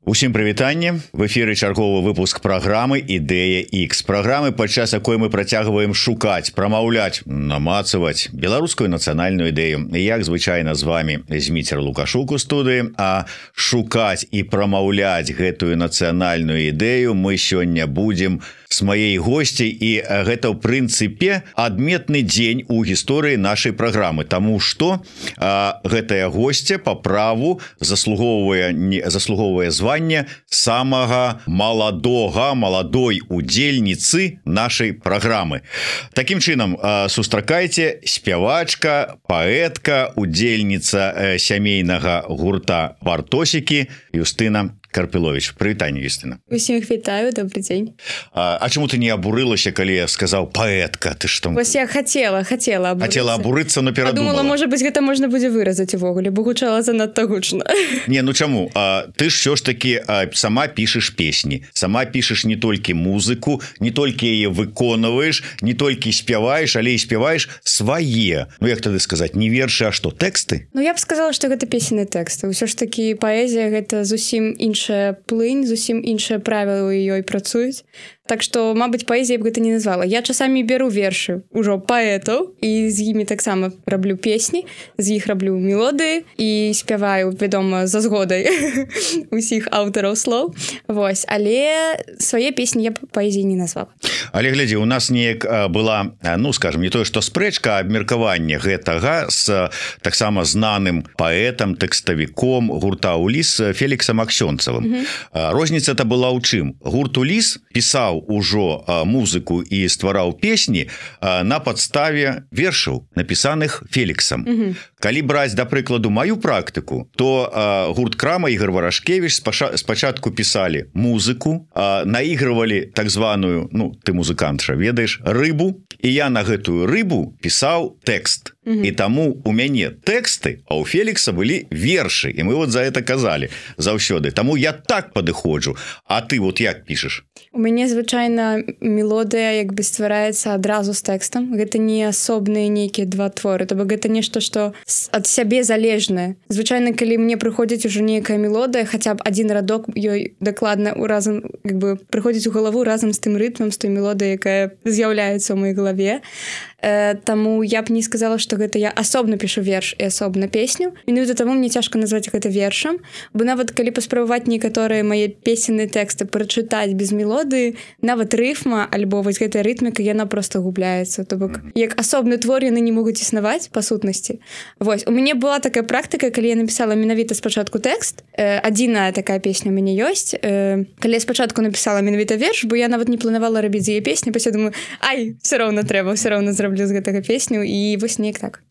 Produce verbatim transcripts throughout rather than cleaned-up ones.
Усім прывітанне. В эфіры чарговы выпуск праграмы «Ідэя Х». Праграмы, падчас якой мы працягваем шукаць, прамаўляць, намацаваць беларускую нацыянальную ідэю. Як звычайна з вами Зміцер Лукашук у студыі, а шукаць і прамаўляць гэтую нацыянальную ідэю мы сёння будзем с маей госцей, і гэта ў прынцыпе адметны дзень у гісторыі нашай праграмы, таму што а, гэтая госця па праву заслугоўвае заслугоўвае звання самага маладога маладой удзельніцы нашай праграмы. Такім чынам, а, сустракайце, спявачка, паэтка, удзельніца сямейнага гурта «Бартосікі» Юстына Карпілович. Прывітанне, Юстына. Усім іх вітаю, добрый дзень. А, а чаму ты не абурылася, калі я сказаў паэтка? Ты што? Вось я хацела, хацела абурыцца. Хацела абурыцца, но перадумала. Падумала, можа быць, гэта можна будзе выразаць увогуле, бо гучала занадта гучна. Не, ну чаму? А, ты ж ўсё ж такі а, сама пішаш песні, сама пішаш не толькі музыку, не толькі яе выконваеш, не толькі спяваеш, але і спяваеш свае. Ну як тады сказаць, не вершы, а што, тэксты? Ну я б сказала, што гэта песенныя тэксты. Усё ж такі паэзія гэта зусім інша плынь, зусім іншыя правілы ў ёй працуюць. Так што, мабыць, паэзія б гэта не назвала. Я часамі беру вершы ўжо паэтаў і з імі таксама раблю песні, з іх раблю мелодыі і спяваю, вядома, за згодай усіх аўтараў слоў. Вось, але свае песні я паэзіяй не назвала. Але глядзі, у нас неяк была, ну, скажем, не тое, што спрэчка, а абмеркаванне гэтага з таксама знаным паэтам, тэкставіком гурта «Уліс» Феліксам Аксёнцавым. Mm-hmm. Розніца-то была ў чым? Гурт «Уліс» пісаў ужо музыку і ствараў песні на падставе вершаў, напісаных Феліксам. Mm-hmm. Калі браць, да прыкладу, маю практыку, то а, гурт «Крама» Ігор Варашкевіч спачатку пісалі музыку, а, наігрывалі так званую, ну, ты музыкант жа ведаеш, рыбу, і я на гэтую рыбу пісаў тэкст. Mm-hmm. І таму у мяне тэксты, а ў Фелікса былі вершы, і мы вот за это казалі заўсёды. Таму я так падыходжу. А ты вот як пішаш? У мяне звычайна мелодыя як бы ствараецца адразу з тэкстам. Гэта не асобныя нейкія два творы, то бок гэта нешта, што ад сябе залежнае. Звычайна, калі мне прыходзіць ужо нейкая мелодыя, хаця б адзін радок ёй дакладна у разам як бы прыходзіць у галаву разам з тым рытмам, з той мелодыяй, якая з'яўляецца ў маёй галаве. Э, таму я б не сказала, што гэта я асобна пішу верш і асобна песню. Менавіта таму мне цяжка назваць гэта вершам, бо нават калі паспрабаваць некаторыя мае песенныя тэксты прачытаць без мелодыі, нават рыфма альбо вось гэтая рытміка, яна проста губляецца. То бок як асобны твор яны не могуць існаваць па сутнасці. Вось, у мяне была такая практыка, калі я напісала менавіта спачатку тэкст. Э, адзіная такая песня у мяне ёсць. Э, калі я спачатку напісала менавіта верш, бо я нават не планавала рабіць з яе песні, пасля думаю, ай, все роўна трэба, все роўна зраблю з гэтага песню, і вось неяк так.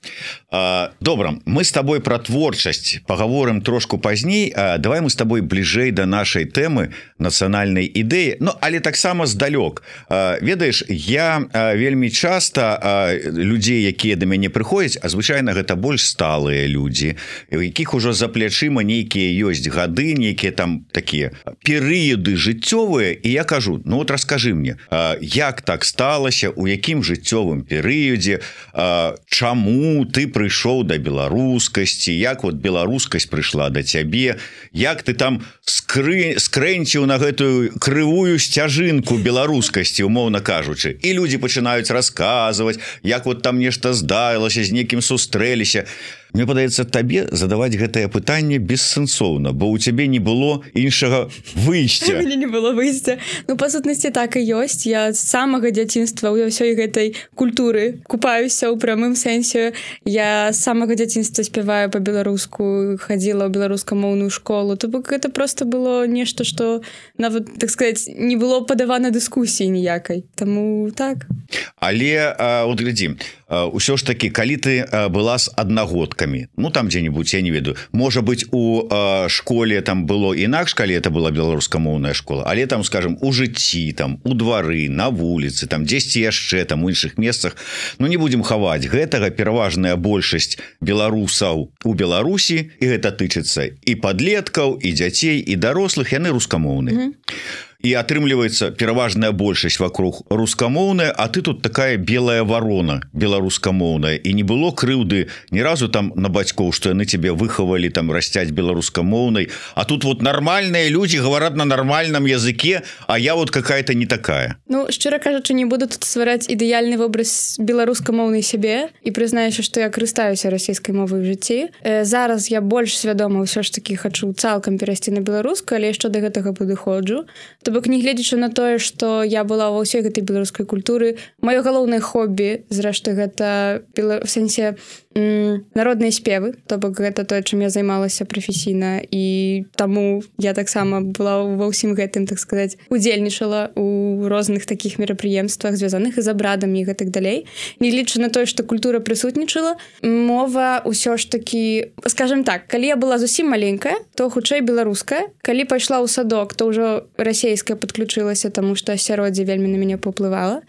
А, добра, мы з табой пра творчасць пагаворым трошку пазней. А, давай мы з табой бліжэй да нашай тэмы нацыянальнай ідэі. Ну, але таксама здалёк. А, ведаеш, я а, вельмі часта а, людзей, якія да мяне прыходзяць, а звычайна гэта больш сталыя людзі, у якіх ужо за плячыма нейкія ёсць гады, нейкія там такія перыяды жыццёвыя, і я кажу, ну вот раскажы мне, а, як так сталася, у якім жыццёвым перыядзе, а, чаму ты прыйшоў да беларускасці, як вот беларускасць прыйшла да цябе, як ты там скры... скрэнціў на гэтую крывую сцяжынку беларускасці, умоўна кажучы, і людзі пачынаюць расказваць, як вот там нешта здарылася, з некім сустрэліся. Мне падаецца, табе задаваць гэтае пытанне бессэнсоўна, бо ў цябе не было іншага выйсця. У мяне не было выйсця. Ну, па сутнасці, так і ёсць. Я з самага дзяцінства ў ўсёй гэтай культуры купаюся ў прамым сэнсе. Я з самага дзяцінства спяваю па-беларуску, хадзіла ў беларускамоўную школу. То бок гэта проста было нешта, што нават, так сказаць, не было падавана дыскусіі ніякай. Таму так. Але, а, от глядзі, ўсё ж такі, калі ты была з аднагодкамі, ну там дзе-небудзь, я не ведаю, можа быць, у э, школе там было інакш, калі это была беларускамоўная школа, але там, скажем, у жыцці, там у двары, на вуліцы, там дзесьці яшчэ там у іншых месцах, ну не будзем хаваць, гэтага пераважная большасць беларусаў у Беларусі, і гэта тычыцца і падлеткаў, і дзяцей, і дарослых, яны рускамоўныя. Mm-hmm. і атрымліваецца пераважная большасць вокруг рускамоўная, а ты тут такая белая ворона беларускамоўная, і не было крыўды ні разу там на бацькоў, што яны тебе выхавалі там расцяць беларускамоўнай, а тут вот нормальные люди говорят на нормальном языке, а я вот какая-то не такая. Ну, шчыра кажучы, не буду тут ствараць ідэальны вобраз беларускамоўнай сябе і прызнаюся, што я карыстаюся расійскай мовай у жыцці. Э, зараз я больш свядома ўсё ж такі хачу цалкам перайсці на беларускую, але яшчэ да гэтага падыходжу. То бок, не гледзячы на тое, што я была ва ўсёй гэтай беларускай культуры, маё галоўнае хобі, зрэшты, гэта бела... в сэнсе м- народныя спевы, то бок гэта тое, чым я займалася прафесійна, і таму я таксама была ва ўсім гэтым, так сказаць, удзельнічала у розных такіх мерапрыемствах, звязаных з абрадамі і гэтак далей. Не лічу на тое, што культура прысутнічала, мова ўсё ж такі, скажем так, калі я была зусім маленькая, то хутчэй беларуская. Калі пайшла ў садок, то ўжо расейская падключылася, таму што асяроддзе вельмі на мяне паўплывала.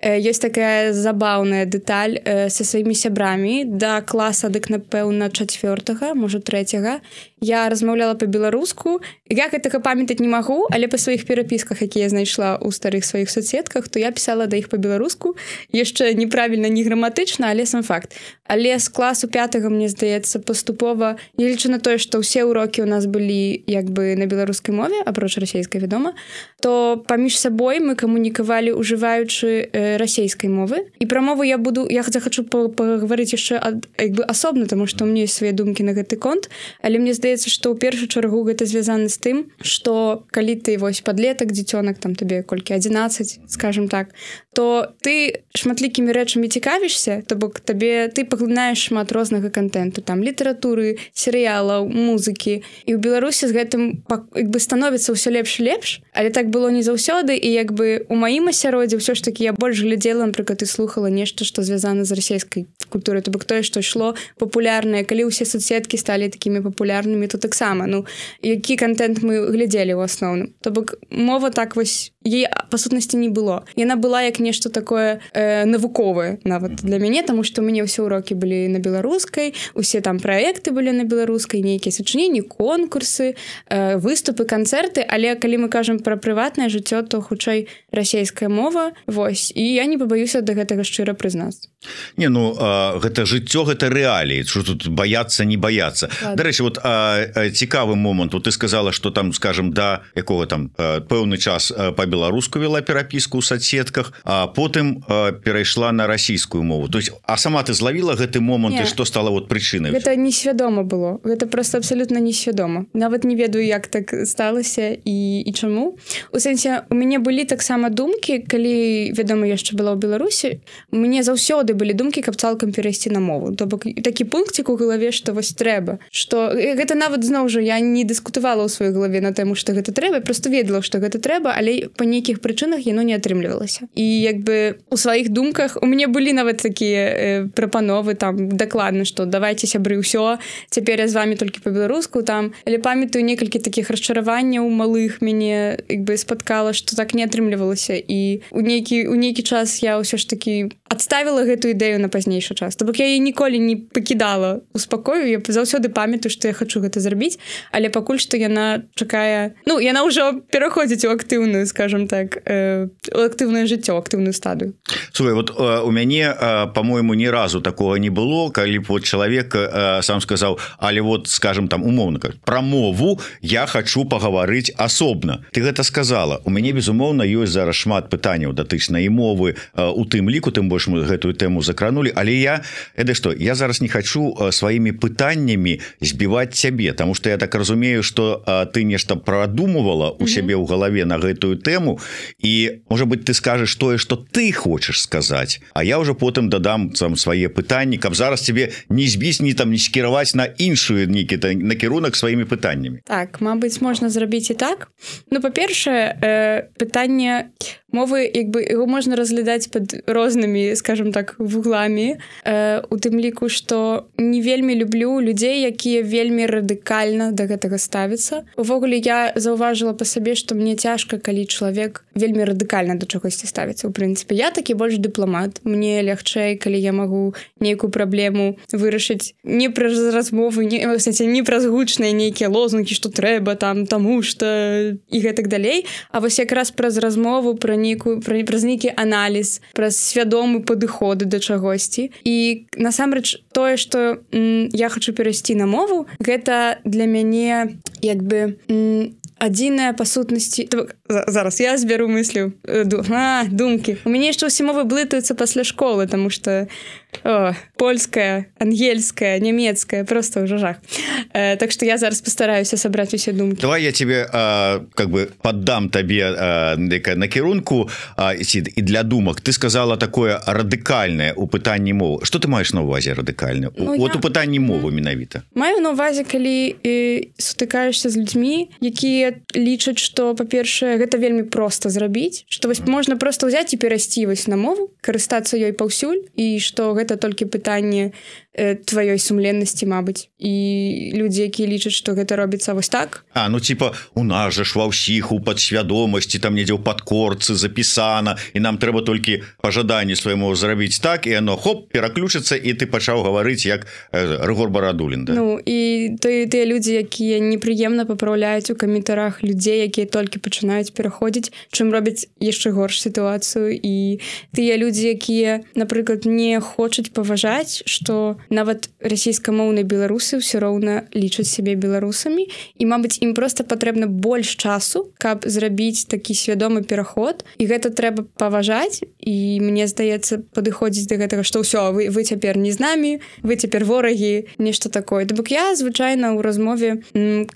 Ёсць такая забаўная дэталь са сваімі сябрамі. Да класа, дык, напэўна, чацвёртага, можа, трэцяга, я размаўляла па-беларуску. Я гэтага памятаць не магу, але па сваіх перапісках, якія я знайшла ў старых сваіх соцсетках, то я пісала да іх па-беларуску. Яшчэ неправільна, не граматычна, але сам факт. Але з класу пятага, мне здаецца, паступова, не лічу на тое, што ўсе ўрокі ў нас былі як бы на беларускай мове, апроч расейскай, вядома, то паміж сабой мы камунікавалі, ужываючы э, расейскай мовы. І пра мову я буду, я захачу пагаварыць яшчэ ад, як бы асобна, таму што ў мяне ёсць свае думкі на гэты конт, але мне здаецца, што ў першую чаргу гэта звязана з тым, што калі ты вось падлетак, дзіцёнак, там табе колькі адзінаццаць, скажем так, то ты шматлікімі рэчамі цікавішся, то бок табе ты паглынаеш шмат рознага контенту, там літаратуры, серыялаў, музыкі, і ў Беларусі з гэтым як бы становіцца ўсё лепш і лепш, але так было не заўсёды, і як бы у маім асяроддзі ўсё ж такі я больш глядзела, напрыклад, і слухала нешта, што звязана з расійскай культурай, то бок тое, што ішло папулярнае, калі ўсе соцсеткі сталі такімі папулярнымі, то таксама, ну, які контент мы глядзелі ў асноўным. То бок мова так вось, яе па сутнасці не было. Яна была як нешта такое э, навуковае нават для мяне, таму што ў мяне ўсе ўрокі былі на беларускай, усе там праекты былі на беларускай, нейкія сачыненні, конкурсы, э, выступы, канцэрты, але калі мы кажам пра прыватнае жыццё, то хутчэй расейская мова, вось, і я не пабаюся да гэтага шчыра прызнацца. Не, ну а, гэта жыццё, гэта рэаліі, што тут баяцца, не баяцца. Дарэчы, вот а, а, цікавы момант, вот ты сказала, што там, скажем, да якога там а, пэўны час па-беларуску вела перапіску ў соцсетках, а потым а, перайшла на расійскую мову. То есть, а сама ты злавіла гэты момант, і што стала вот прычынай? Гэта несвядома было. Гэта просто абсалютна несвядома. Нават не ведаю, як так сталася і, і чаму. У сэнсе, у мяне былі таксама думкі, калі, вядома, яшчэ была ў Беларусі, у мяне заўсёды былі думкі, каб цалкам перайсці на мову. То бок такі пункцік у галаве, што вось трэба. Што гэта нават зноў жа я не дыскутавала ў сваёй галаве на тэму, што гэта трэба, просто ведала, што гэта трэба, але па нейкіх прычынах яно не атрымлівалася. І як бы у сваіх думках у мяне былі нават такія э, прапановы там дакладна, што давайце сябры ўсё, цяпер я з вамі толькі па-беларуску там, але памятаю некалькі такіх расчараванняў малых мяне як бы спаткала, што так не атрымлівалася, і у нейкі у нейкі час я ўсё ж такі адставіла гэту ідэю на пазнейшы час. То бок я яе ніколі не пакідала у спакою, я заўсёды памятаю, што я хачу гэта зрабіць, але пакуль што яна чакае, ну, яна ўжо пераходзіць у актыўную, скажем так, э, у актыўнае жыццё, актыўную стадыю. Слухай, вот э, у мяне, э, по-моему, ні разу такого не было, калі б вот чалавек э, сам сказаў, але вот, скажем, там, умоўна, пра мову я хачу пагаварыць асобна. Ты гэта сказала. У мяне, безумоўна, ёсць зараз шмат пытанняў датычна і мовы, э, у тым ліку, тым больш мы гэтую тэму закранули, але я, это што, я зараз не хочу сваімі пытаннямі збіваць цябе, тому что я так разумею, что а, ты нешта прадумывала у сябе ў галаве на гэтую тэму, і, можа быть, ты скажешь тое, что ты хочаш сказаць, а я уже потым дадам там свае пытанні, каб зараз тебе не збіць, ні там не скіраваць на іншую нейкі накірунак сваімі пытаннямі. Так, мабыць, можна зрабіць і так. Ну, па-першае, э, пытанне мовы як бы яго можна разглядаць пад рознымі, скажем так, вугламі, э, у тым ліку, што не вельмі люблю людзей, якія вельмі радыкальна да гэтага ставяцца. Увогуле я заўважыла па сабе, што мне цяжка, калі чалавек вельмі радыкальна да чагосьці ставіцца. У прынцыпе, я такі больш дыпламат. Мне лягчэй, калі я магу нейкую праблему вырашыць не праз размовы, не, кстати, не праз гучныя нейкія лозунгі, што трэба там, таму што і гэтак далей, а вось якраз праз размову, пра нейкую, пра, праз нейкі аналіз, праз свядомы падыходы да чагосьці. І насамрэч тое, што м, я хачу перайсці на мову, гэта для мяне як бы м, адзіная па сутнасці... Зараз я зберу мыслю. А, думкі. У мяне яшчэ ўсе мовы блытаюцца пасля школы, таму што о, польская, ангельская, нямецкая, просто ўжо жах. Э, так што я зараз пастараюся сабраць усе думкі. Давай я тебе а, как бы поддам табе а, накірунку а, і для думак. Ты сказала такое радыкальнае у пытанні мовы. Што ты маеш на ўвазе радыкальна? Ну, вот я... у пытанні мовы менавіта. Маю на ўвазе, калі э, сутыкаешся з людзьмі, якія лічаць, што, па-першае, гэта вельмі проста зрабіць, што вось можна проста ўзяць і перайсці вось на мову, карыстацца ёй паўсюль, і што гэта толькі пытанне э, тваёй сумленнасці, мабыць. І людзі, якія лічаць, што гэта робіцца вось так. А, ну типа, у нас жа ж ва ўсіх у падсвядомасці, там недзе ў падкорцы запісана, і нам трэба толькі па жаданні свайму зрабіць так, і оно, хоп, пераключыцца, і ты пачаў гаварыць, як э, Рыгор Барадулін, да? Ну, і тыя, тыя людзі, якія непрыемна папраўляюць у каментарах людзей, якія толькі пачынаюць пераходзіць, чым робяць яшчэ горш сітуацыю, і тыя людзі, якія, напрыклад, не хочуць паважаць, што нават расійскамоўныя беларусы ўсё роўна лічаць сябе беларусамі, і, мабыць, ім проста патрэбна больш часу, каб зрабіць такі свядомы пераход, і гэта трэба паважаць, і мне здаецца, падыходзіць да гэтага, што ўсё, вы, вы цяпер не з намі, вы цяпер ворагі, нешта такое. То бок я, звычайна, ў размове,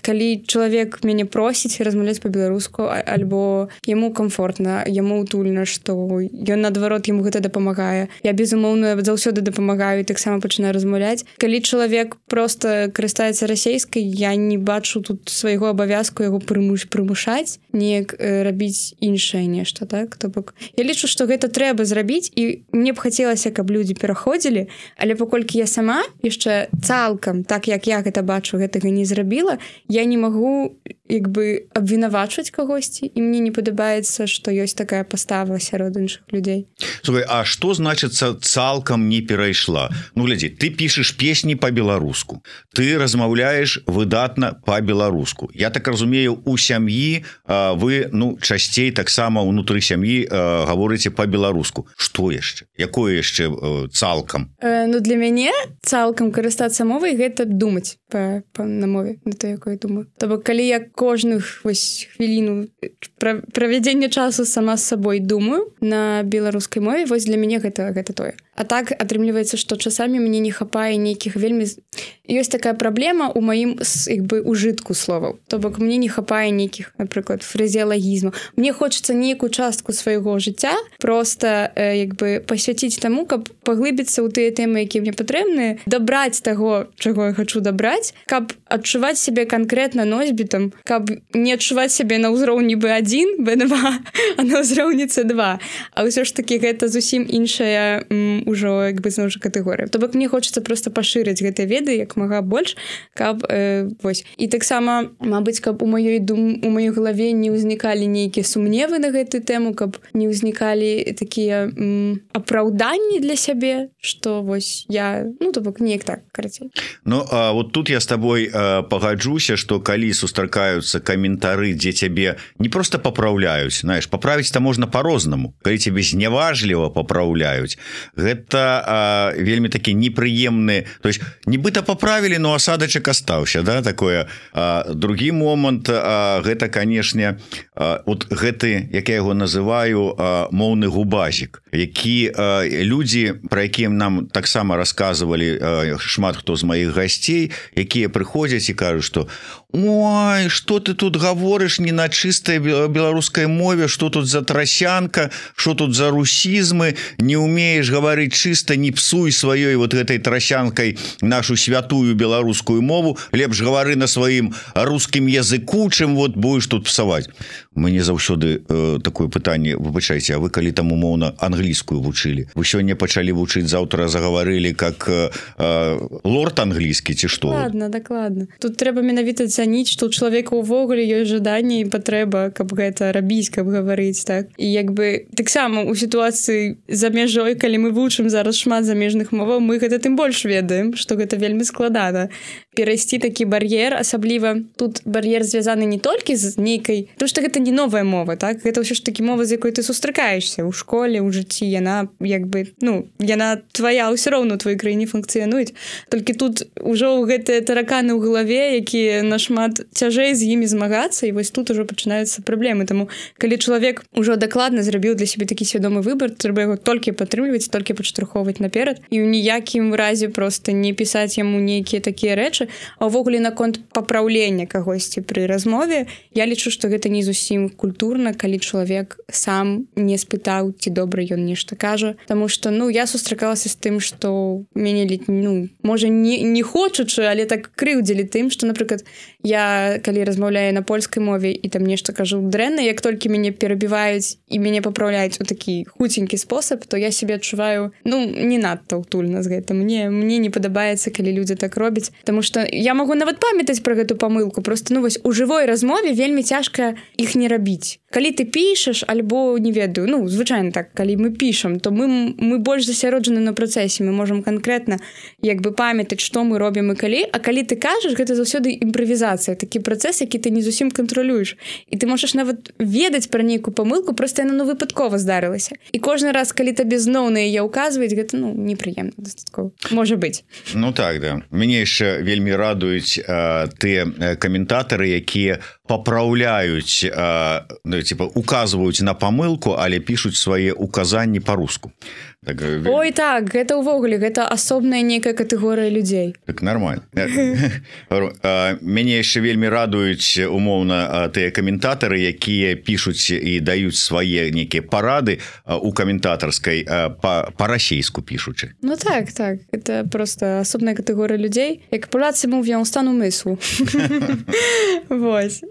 калі чалавек мяне просіць размаўляць па-беларуску, альбо яму комфортна, яму утульна, што ён, наадварот, яму гэта дапамагае. Я, безумоўна, заўсёды дапамагаю і таксама пачынаю размаўляць. Калі чалавек проста карыстаецца расейскай, я не бачу тут свайго абавязку яго прымуш, прымушаць, неяк э, рабіць іншае нешта, так? То бок я лічу, што гэта трэба зрабіць, і мне б хацелася, каб людзі пераходзілі, але паколькі я сама яшчэ цалкам, так як я гэта бачу, гэтага не зрабіла, я не магу як бы абвінавачваць кагосьці, і мне не падабаецца, што ёсць такая пастава сярод іншых людзей. Слухай, а што значыцца цалкам не перайшла? Ну, глядзі, ты пішаш песні па-беларуску, ты размаўляеш выдатна па-беларуску. Я так разумею, у сям'і а, вы, ну, часцей таксама ўнутры сям'і а, гаворыце па-беларуску. Што яшчэ? Якое яшчэ а, цалкам? Э, ну, для мяне цалкам карыстацца мовай гэта думаць па, па, на мове, на то, якой думаю. То бок, калі я кожную вось хвіліну пра, правядзення часу сама з сабой думаю на беларускай мове, вось для мяне гэта, гэта тое. А так атрымліваецца, што часамі мне не хапае нейкіх вельмі... Ёсць такая праблема ў маім як бы ужытку словаў. То бок мне не хапае нейкіх, напрыклад, фразеалагізмаў. Мне хочацца нейкую частку свайго жыцця проста э, як бы пасвяціць таму, каб паглыбіцца ў тыя тэмы, якія мне патрэбныя, дабраць таго, чаго я хачу дабраць, каб адчуваць сябе канкрэтна носьбітам, каб не адчуваць сябе на ўзроўні бэ адзін, бэ два, а на ўзроўні цэ два. А ўсё ж такі гэта зусім іншая м, ужо як бы зноў жа катэгорыя. То бок мне хочацца проста пашырыць гэтыя веды як мага больш, каб э, вось. І таксама, мабыць, каб у маёй дум у маёй галаве не ўзнікалі нейкія сумневы на гэтую тэму, каб не ўзнікалі такія м, апраўданні для сябе, што вось я, ну то бок неяк так, карацей. Ну, а вот тут я з табой а, пагаджуся, што калі сустракаюцца каментары, дзе цябе не проста папраўляюць, знаеш, паправіць-то можна по-рознаму. Калі цябе зняважліва папраўляюць, гэта а, вельмі такі непрыемны, то есть нібыта паправілі, но асадачак астаўся, да, такое. А, другі момант, а, гэта, канешне, а, вот гэты, як я яго называю, а, моўны губазік, які а, людзі, пра якія нам таксама расказвалі а, шмат хто з маіх гасцей, якія прыходзяць і кажуць, што ой, что ты тут гаворыш не на чыстай беларускай мове, что тут за трасянка, что тут за русізмы, не умеешь гаварыць чыста, не псуй сваёй вот гэтай трасянкай нашу святую беларускую мову, лепш гавары на сваім рускім языку, чым вот будешь тут псаваць. Мне заўсёды э, такое пытанне, выбачайце, а вы калі там умоўна англійскую вучылі, вы сёння пачалі вучыць, заўтра загаварылі как э, э, лорд англійскі ці што? Ладно, дакладна. Тут трэба менавіта цаніць, што ў чалавека ўвогуле ёсць жаданне і патрэба, каб гэта рабіць, каб гаварыць, так. І як бы таксама ў сітуацыі за мяжой, калі мы вучым зараз шмат замежных моваў, мы гэта тым больш ведаем, што гэта вельмі складана. Перайсці такі бар'ер, асабліва тут бар'ер звязаны не толькі з нейкай, тому што гэта не новая мова, так? Гэта ўсё ж такі мова, з якой ты сустракаешся ў школе, ў жыцці, яна як бы, ну, яна твая, ўсё роўна ў твоёй краіне функцыянуюць. Толькі тут ужо гэтыя тараканы ў галаве, якія нашмат цяжэй з імі змагацца, і вось тут ужо пачынаюцца праблемы. Таму, калі чалавек ужо дакладна зрабіў для сябе такі свядомы выбар, трэба яго толькі падтрымліваць, толькі падштурхоўваць наперад, і ў ніякім разе проста не пісаць яму нейкія такія рэчы. А ўвогуле наконт папраўлення кагосьці пры размове, я лічу, што гэта не зусім культурна, калі чалавек сам не спытаў, ці добра ён нешта кажа. Таму што, ну, я сустракалася з тым, што мяне, ну, можа, не, не хочучы, але так крыўдзілі тым, што, напрыклад, я, калі размаўляю на польскай мове і там нешта кажу дрэнна, як толькі мяне перабіваюць і мяне папраўляюць у такі хуценькі спосаб, то я сябе адчуваю, ну, не надта ўтульна з гэта. Мне, мне не падабаецца, калі людзі так робяць, таму што я магу нават памятаць пра гэту памылку, просто, ну, вось, у жывой размове вельмі цяжка іх не рабіць. Калі ты пішаш, альбо, не ведаю, ну, звычайна так, калі мы пішам, то мы, мы больш засяроджаны на працэсе, мы можам канкрэтна, як бы, памятаць, што мы робім і калі, а калі ты кажаш, гэта заўсёды імправізацыя, такі працэс, які ты не зусім кантралюеш. І ты можаш нават ведаць пра нейкую памылку, проста яна, ну, выпадкова здарылася. І кожны раз, калі табе зноў на яе ўказваюць, гэта, ну, непрыемна дастаткова. Можа быць. Ну так, да. Мяне яшчэ вельмі радуюць э, тыя каментатары, якія папраўляюць, э, ну, типа, указваюць на памылку, але пішуць свае указанні па-руску. Так, ой, так, гэта ўвогуле, гэта асобная нейкая катэгорыя людзей. Так, нормально. Мяне яшчэ вельмі радуюць, умоўна, тыя каментатары, якія пішуць і даюць свае нейкія парады у каментатарскай па-расейску пішучы. Ну так, так, гэта проста асобная катэгорыя людзей. Як Polacy mówią stan umysłu. Вось.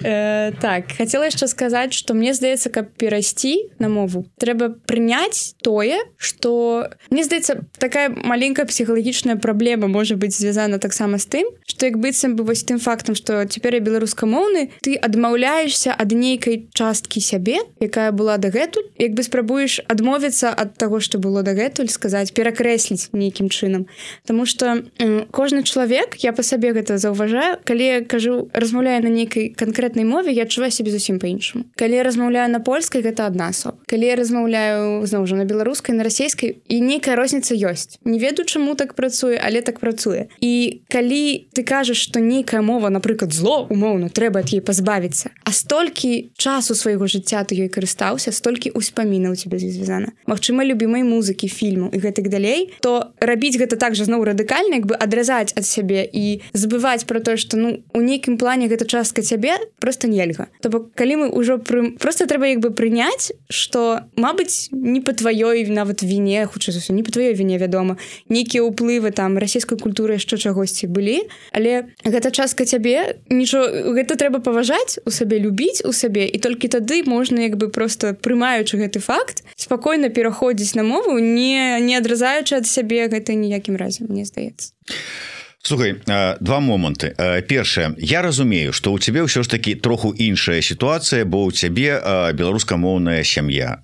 Так, хацела яшчэ сказаць, што мне здаецца, каб перайсці на мову, трэба прыняць тое, што мне здаецца, такая маленькая псіхалагічная праблема можа быць звязана таксама з тым, што як быццам бы вось тым фактам, што цяпер я беларускамоўны, ты адмаўляешся ад нейкай часткі сябе, якая была дагэтуль, як бы спрабуеш адмовіцца ад таго, што было дагэтуль, сказаць, перакрэсліць нейкім чынам. Таму што м, кожны чалавек, я па сабе гэта заўважаю, калі я кажу, размаўляю на нейкай канкрэтнай мове, я адчуваю сябе зусім па-іншаму. Калі я размаўляю на польскай, гэта адна асоба. Калі я размаўляю, зноў жа, на беларускай, на расейскай, і нейкая розніца ёсць. Не ведаю, чаму так працуе, але так працуе. І калі ты кажаш, што нейкая мова, напрыклад, зло, умоўна, трэба ад яе пазбавіцца, а столькі часу свайго жыцця ты ёй карыстаўся, столькі ўспамінаў у цябе звязана. Магчыма, любімай музыкі, фільму і гэтак далей, то рабіць гэта так жа зноў радыкальна, як бы адразаць ад сябе і забываць пра тое, што, ну, у нейкім плане гэта частка цябе проста нельга. То бок, калі мы ўжо пры... проста трэба як бы прыняць, што, мабыць, не па тваёй нават віне, хутчэй за ўсё, не па тваёй віне, вядома, нейкія ўплывы там расійскай культуры яшчэ чагосьці былі, але гэта частка цябе, нічого, гэта трэба паважаць у сабе, любіць у сабе, і толькі тады можна як бы проста прымаючы гэты факт, спакойна пераходзіць на мову, не, не адразаючы ад сябе гэта ніякім разе, мне здаецца. Слухай, два моманты. Першае, я разумею, што ў цябе ўсё ж такі троху іншая сітуацыя, бо ў цябе беларускамоўная сям'я,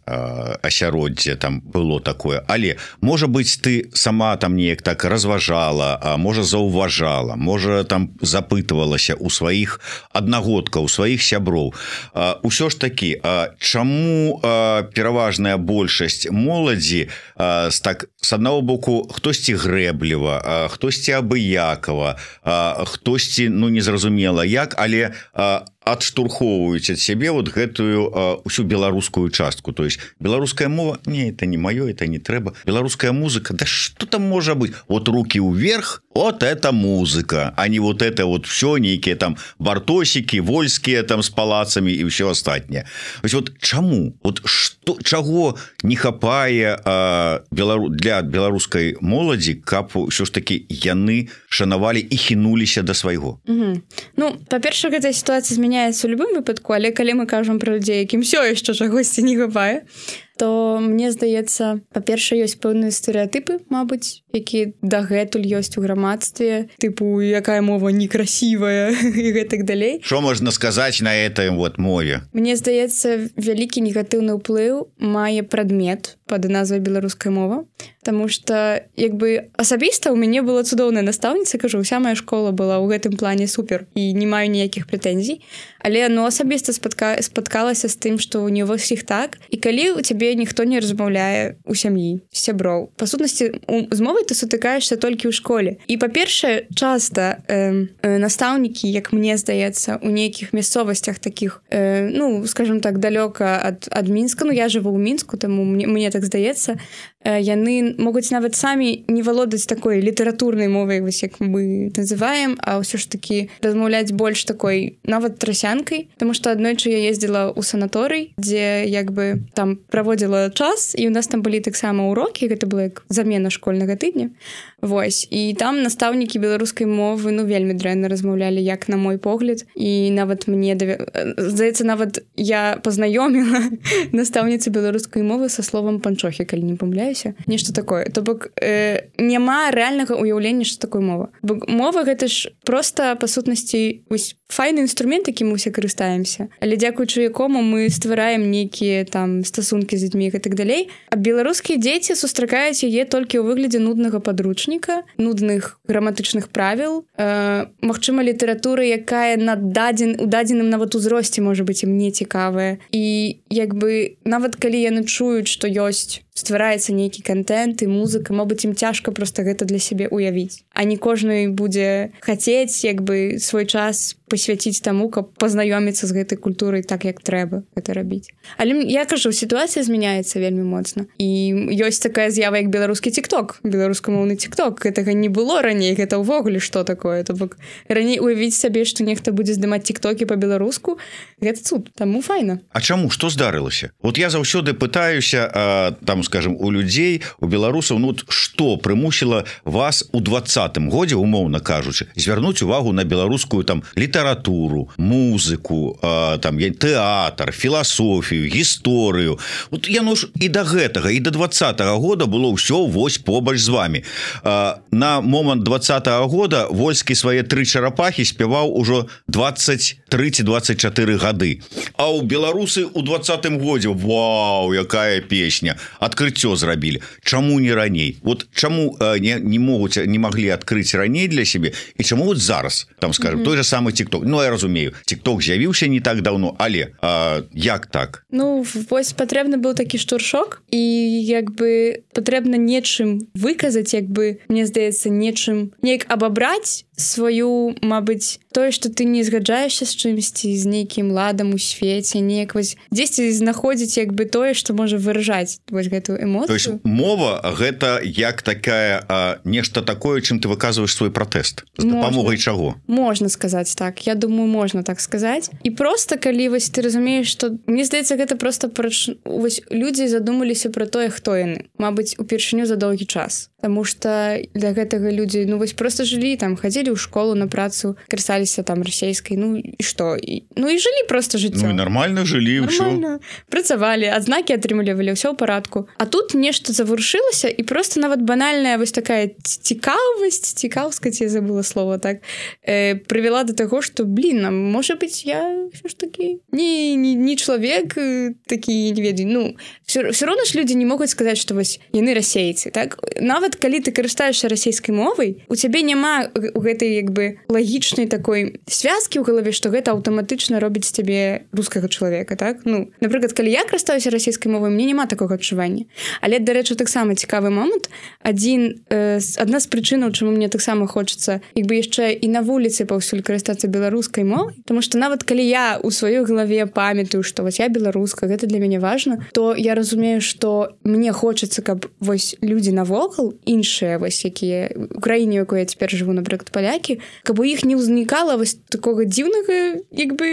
асяроддзе там было такое. Але, можа быць, ты сама там неяк так разважала, можа, заўважала, можа, там запытвалася ў сваіх аднагодкаў, у сваіх сяброў. Усё ж такі, чаму пераважная большасць моладзі так, з аднаго боку, хтосьці грэбліва, хтосьці абыяк, хтосьці, ну, незразумела як, але а, адштурхоўваюць ад сябе вот гэтую ўсю беларускую частку, то есть беларуская мова, не, это не маё, это не трэба, беларуская музыка, да что там можа быть, вот руки вверх, вот это музыка, а не вот это вот все нейкія там бартосики, вольскія там с палацами и все астатняе. Вот чаму, вот что, чаго не хапае а, белару, для беларускай моладзі, каб ўсё ж таки яны шанавалі і хінуліся да свайго? Угу. Ну, па-перша, гэтая сітуацыя змяняецца ў любым выпадку, але калі мы кажам пра людзей, якім ўсё яшчэ чагосьці не хапае, то мне здаецца, па-перша, ёсць пэўныя стэрэатыпы, мабыць, якія дагэтуль ёсць у грамадстве, тыпу, якая мова некрасівая і гэтак далей. Што можна сказаць на этой вот мове? Мне здаецца, вялікі негатыўны ўплыў мае прадмет пад назвай беларуская мова, таму што, як бы, асабіста ў мяне была цудоўная настаўніца, кажу, уся моя школа была ў гэтым плане супер і не маю ніякіх прэтэнзій, але ну, асабіста спатка... спаткалася з тым, што не ва ўсіх так, і калі у цябе ніхто не размаўляе у сям'і, сяброў. Па сутнасці, з мовай ты сутыкаешся толькі ў школе. І, па-першае, часта э, э, настаўнікі, як мне здаецца, у нейкіх мясцовасцях такіх, э, ну, скажем так, далёка ад, ад Мінска, ну, я жыву ў Мінску, таму мне, мне так здаецца, э, яны могуць нават самі не валодаць такой літаратурнай мовай, вось як мы называем, а ўсё ж такі размаўляць больш такой, нават трасянкай, таму што аднойчы я ездзіла ў санаторый, дзе, як бы, там праводзіла час, і у нас там былі таксама ўрокі, гэта была як замена школьнага тыдня. Вось. І там настаўнікі беларускай мовы, ну, вельмі дрэнна размаўлялі, як на мой погляд. І нават мне, давя... здаецца, нават я пазнаёміла настаўніцу беларускай мовы са словам панчохі, калі не памыляюся. Нешта такое. То бок, э, няма рэальнага ўяўлення, што такое мова. Бо мова гэта ж проста, па сутнасці, вось, файны інструмент, якім мы ўсе карыстаемся. Але дзякуючы якому мы ствараем нейкія там стасункі з людзьмі і так далей. А беларускія дзеці сустракаюць яе толькі ў выглядзе нуднага падручніка, нудных граматычных правіл, э, магчыма, літаратуры, якая на дадзен, у дадзеным нават узросце можа быць ім не цікавая. І як бы нават калі яны чуюць, што ёсць ствараецца нейкі контент і музыка, мабыць, ім цяжка проста гэта для сябе уявіць. А не кожны будзе хацець, як бы, свой час посвяціць таму, каб пазнаёміцца з гэтай культурай так, як трэба гэта рабіць. Але я кажу, сітуацыя змяняецца вельмі моцна. І ёсць такая з'ява, як беларускі тик-ток, беларускамоўны тик-ток. Гэтага не было раней, гэта ўвогуле што такое. То бок раней уявіць сабе, што нехта будзе здымаць тик-токі па-беларуску, гэта цуд, таму файна. А чаму, што здарылася? Вот я заўсёды пытаюся, а, там, скажем, у людзей, у беларусаў, ну, што прымусіла вас у двадцатым годзе, умоўна кажучы, звярнуць увагу на беларускую там літаратуру, музыку, а, там, тэатр, філасофію, гісторыю. Вот яно ж і да гэтага, і да двадцатага года было ўсё вось побач з вами. А, на момант двадцатага года Вольскі свае тры чарапахі спяваў ужо двадцать тры двадцать чатыры гады. А ў беларусы ў двадцатым годзе, вау, якая песня, адкрыццё зрабілі. Чаму не раней? Вот чаму э, не, не могуць, не маглі адкрыць раней для сябе, і чаму вот зараз, там, скажем, mm-hmm. той же самый тик-ток. Ну, я разумею, тик-ток з'явіўся не так даўно, але э, як так? Ну, вось патрэбны быў такі штуршок, і як бы патрэбна нечым выказаць, як бы, мне здаецца, нечым, неяк абабраць сваю, мабыць, тое, што ты не згаджаешся з чымсьці, з нейкім ладам у свеце, неяк вось дзесьці знаходзіць, як бы, тое, што можа выражаць вось гэтую эмоцыю. То есть мова гэта як такая а, нешта такое, чым ты выказваеш свой пратэст. З дапамогай чаго? Можна сказаць так. Я думаю, можна так сказаць. І проста калі вось ты разумееш, што мне здаецца, гэта проста прач... вось людзі задумаліся пра тое, хто яны. Мабыць, упершыню за доўгі час. Таму што для гэтага людзі, ну вось проста жылі, там хадзілі ў школу на працу, карысаліся там расейскай, ну і што? І, ну і жылі проста жыццё. Ну і нармальна жылі, ўсё. Працавалі, адзнакі атрымлівалі, ўсё ў парадку. А тут нешта заварушылася, і проста нават банальная вось такая цікавасць, цікаўскаць, я забыла слова, так, э, прывяла да таго, што, блін, можа быць, я ўсё ж такі не, не, не чалавек такі, не ведаю, ну, все, все роўна ж людзі не могуць сказаць, што вось яны расейцы, так? Нават калі ты карыстаешся расійскай мовай, у цябе няма у гэтай як бы лагічнай такой связкі ў галаве, што гэта аўтаматычна робіць з цябе рускага чалавека, так? Ну, напрыклад, калі я карыстаюся расійскай мовай, мне няма такога адчування. Але, дарэчы, таксама цікавы момант. Адзін, э, адна з прычынаў, чаму мне таксама хочацца як бы яшчэ і на вуліцы паўсюль карыстацца беларускай мовай, тому што нават калі я ў сваёй галаве памятаю, што вось я беларуска, гэта для мяне важна, то я разумею, што мне хочацца, каб вось людзі навокал, іншыя вось якія у краіне, у якой я цяпер жыву, напрыклад, палякі, каб у іх не ўзнікала вось такога дзіўнага як бы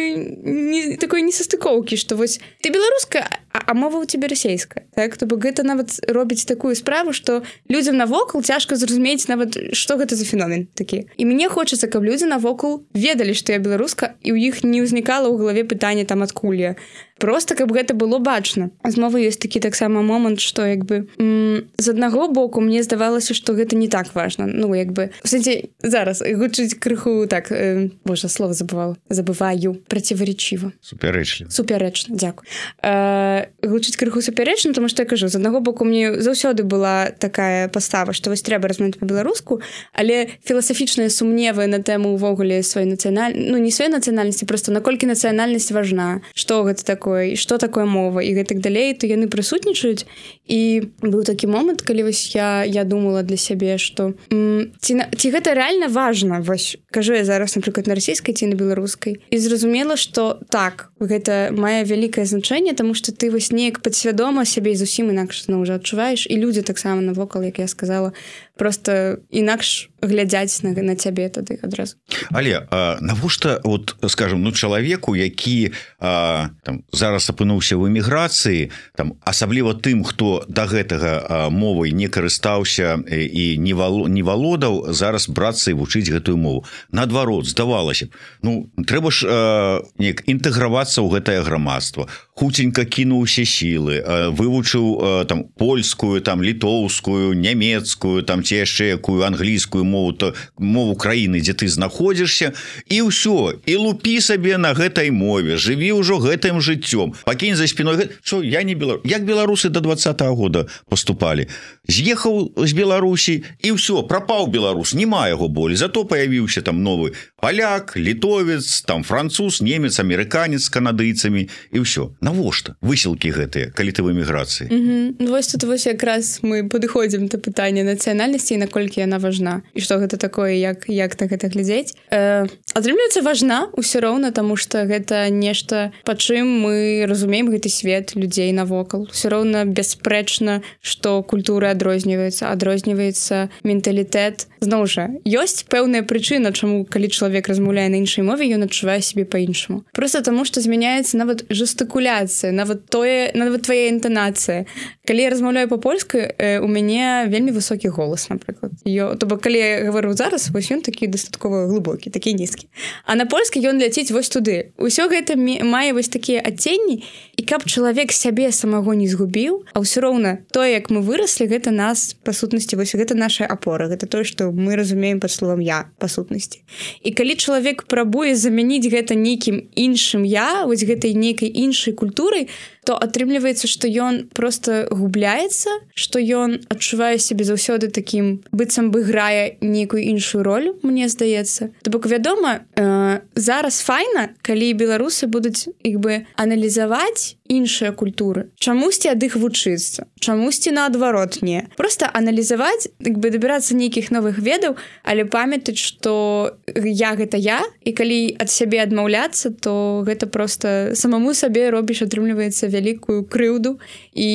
не, такой несастыкоўкі, што вось ты беларуска, а, а мова ў цябе расейская, так? То бок гэта нават робіць такую справу, што людзям навокал цяжка зразумець нават, што гэта за феномен такі. І мне хочацца, каб людзі навокал ведалі, што я беларуска, і ў іх не ўзнікала ў галаве пытанне там адкуль я. Просто каб гэта было бачна. З мовы ёсць такі таксама момант, што як бы м- з аднаго боку мне здавалася, што гэта не так важна. Ну, як бы, в сэнсе, зараз гучыць крыху так, э, божа, слово забывала, забываю, проціваречіва. Супярэчліва. Супярэчна, дзякую. Э, гучыць крыху супярэчна, тому што я кажу, з аднаго боку мне заўсёды была такая пастава, што вось трэба размаўляць па-беларуску, але філасафічныя сумневы на тэму ўвогуле сваёй нацыянальнасці, ну, не сваёй нацыянальнасці, проста наколькі нацыянальнасць важна, што гэта такое, і што такое мова і гэтак далей, то яны прысутнічаюць. І быў такі момант, калі вось я, я думала для сябе, што м, ці, ці гэта рэальна важна, вось кажу я зараз, напрыклад, на расійскай ці на беларускай, і зразумела, што так, гэта мае вялікае значэнне, таму што ты вось неяк падсвядома сябе зусім інакш ну, ўжо адчуваеш, і людзі таксама навокал, як я сказала, просто інакш глядзяць на, на цябе тады адразу. Але а, навошта, от, скажем, ну, чалавеку, які а, там, зараз апынуўся ў эміграцыі, там, асабліва тым, хто да гэтага а, мовай не карыстаўся і не, вало, не валодаў, зараз брацца і вучыць гэтую мову. Наадварот, здавалася б, ну, трэба ж а, неяк інтэгравацца ў гэтае грамадства. Хуценька кінуў усе сілы, а, вывучыў а, там, польскую, там, літоўскую, нямецкую, там, ці яшчэ якую англійскую мову, то мову краіны, дзе ты знаходзішся, і ўсё, і лупі сабе на гэтай мове, жыві ўжо гэтым жыццём, пакінь за спіной, што я не беларус. Як беларусы до двадцатого года поступалі? З'ехаў з Беларусі, і ўсё, прапаў беларус, няма яго болей, зато паявіўся там новы паляк, літовец, там француз, немец, амерыканец з канадыйцамі, і ўсё. Навошта высілкі гэтыя, калі ты в эміграцыі? Mm-hmm. Вось тут вось якраз мы падыходзім да пытання нацыянальнасці і наколькі яна важна, і што гэта такое, як, як на гэта глядзець. Э, атрымліваецца важна ўсё роўна, таму што гэта нешта, па чым мы разумеем гэты свет людзей навокал. Усё роўна бясспрэчна, што культура адрозніваецца, адрозніваецца менталітэт. Зноў жа, ёсць пэўная прычына, чаму, калі чалавек размаўляе на іншай мове, ён адчувае сябе па-іншаму. Проста таму, што змяняецца нават жестыкуляцыя, нават тое, нават твая інтанацыя. Калі я размаўляю па-польску, э, у мяне вельмі высокі голас, напрыклад. Ё, то бок, калі я гавару зараз, вось ён такі дастаткова глыбокі, такі нізкі. А на польскі ён ляціць вось туды. Усё гэта мае вось такія адценні, і каб чалавек сябе самого не згубіў, а ўсё роўна тое, як мы выраслі, гэта нас, па сутнасці, вось гэта наша апора, гэта тое, што мы разумеем пад словам «я», па сутнасці. І калі чалавек прабуе замяніць гэта нейкім іншым «я», вось гэтай нейкай іншай культурай, то атрымліваецца, што ён проста губляецца, што ён адчувае сябе заўсёды такім, быццам бы грае нейкую іншую ролю, мне здаецца. То бок, вядома, э, зараз файна, калі беларусы будуць як бы аналізаваць іншыя культуры. Чамусьці ад іх вучыцца, чамусьці наадварот не. Проста аналізаваць, як бы дабірацца нейкіх новых ведаў, але памятаць, што я гэта я, і калі ад сябе адмаўляцца, то гэта проста самому сабе робіш, атрымліваецца вялікую крыўду, і,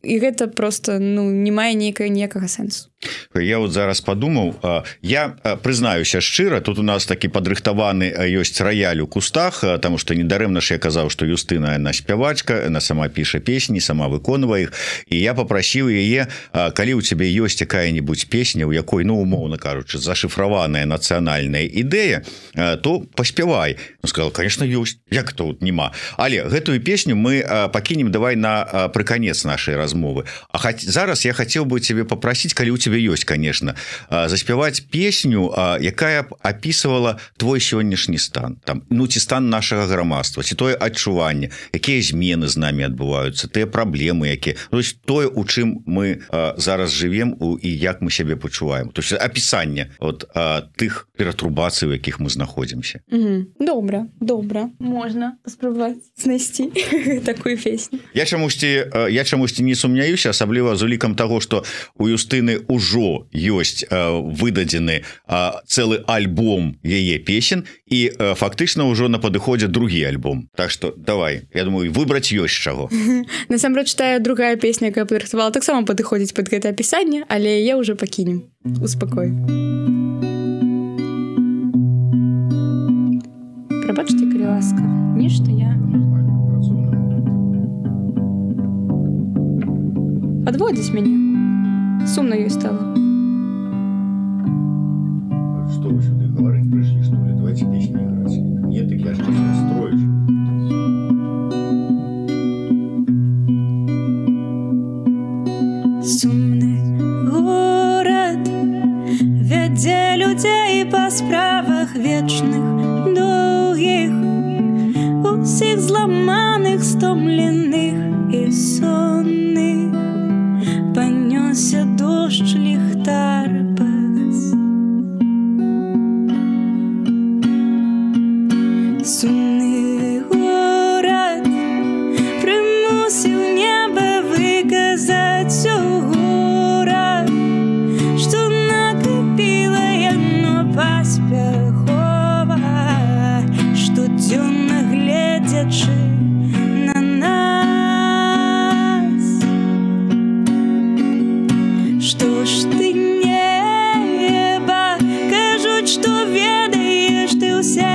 і гэта проста ну, не мае ніякага, ніякага сэнсу. Я вот зараз подумаў, я прызнаюся шчыра, тут у нас такі падрыхтаваны ёсць раяль у кустах, таму што недарэмна ж я казаў, што Юстына яна спявачка, яна сама піша песні, сама выконвае іх, і я попрасіў яе, калі ў цябе ёсць якая-небудзь песня, у якой, ну, умоўна кажучы, зашыфраваная нацыянальная ідэя, то паспявай. Ну, сказал, конечно, ёсць, як тут нема. Але гэтую песню мы пакінем давай на прыканец нашай размовы. А хаць, зараз я хацеў бы цябе попрасіць, калі у цябе ёсць, конечно, заспяваць песню, якая б апісвала твой сённяшні стан, там, ну ці стан нашага грамадства, ці тое адчуванне, якія змены з намі адбываюцца, тыя праблемы, якія, то есть тое, у чым мы зараз жывем і як мы сябе пачуваем, то есть апісанне от тых ператрубацый, у якіх мы знаходзімся. Добра, добра, можна паспрабаваць знайсці такую песню. Я чамусьці я чамусьці не сумняюся, асабліва з улікам таго, што у Юстыны ўжо ёсць выдадзены цэлы альбом яе песен і фактычна ўжо на падыходзе другі альбом. Так што давай, я думаю, выбраць ёсць чаго. Насамрэч тая другая песня, якая падрыхтавала, таксама падыходзіць пад гэта апісанне, але яе ўжо пакінем. Успакой. Прабачце, калі ласка, нешта я подводзіць мяне. Сумна ёй стала. Что вы сюда говорить пришли, что ли? Давайте песни играть. Нет, так я же сейчас настроюсь. Сумны горад вядзе людзей па справах вечных, доўгіх, усіх зламаных, стомленых і сонных. Панёсся дождж, ліхтар пагас. Сумны горад прымусіў неба выказаць гора, што накапіла яно паспяхова, штодзённа гледзячы на нас. Што ж ты неба, кажуць, што ведаеш ты ўсе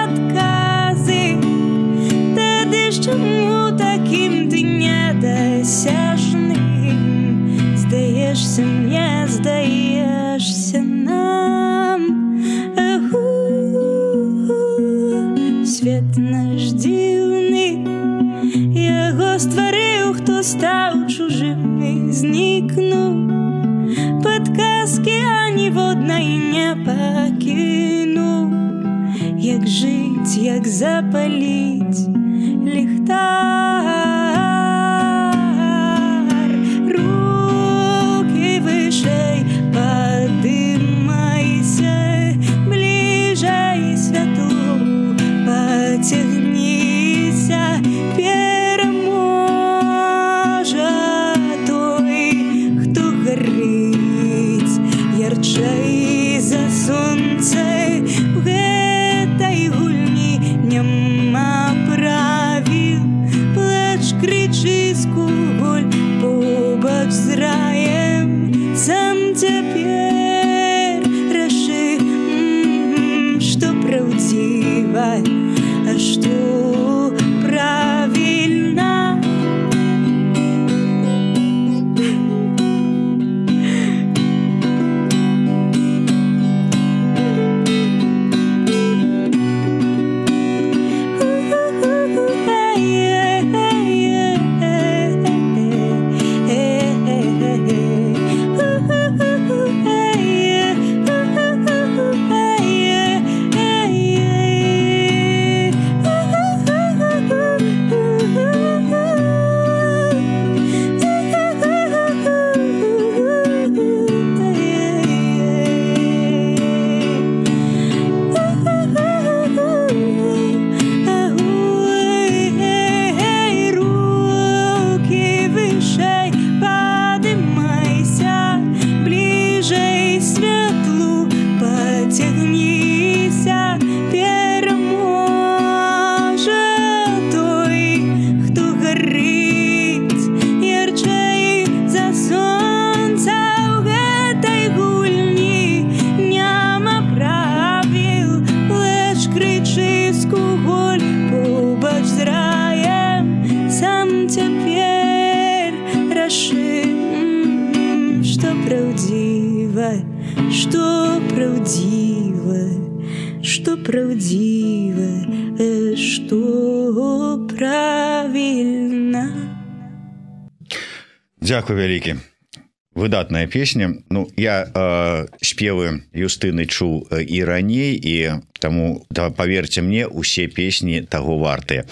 адказы, тады ж чаму такім ты недасяжным? Здаешся мне, здаешся нам. Агу, свет наш дзіўны, яго стварыў, хто стаў чужым і знікнуў. Падказкі аніводнай не пакінуў. Як жыць, як запаліць ліхтар. Рукі вышэй, падымайся, бліжэй святло, пацягніся, пераможа той, хто гарыць ярчэй за сонца. У гэтай гульні няма правіл, плач, крычы, скуголь побач з раем. Сам цяпер рашы, што праўдзіва, а што правільна. Што праўдзіва, што праўдзіва, што правільна. Дзякуй вялікі. выдатная песня. Ну я э, спевы Юстыны чуў і раней, і таму да, поверьте мне, усе песні таго вартыя.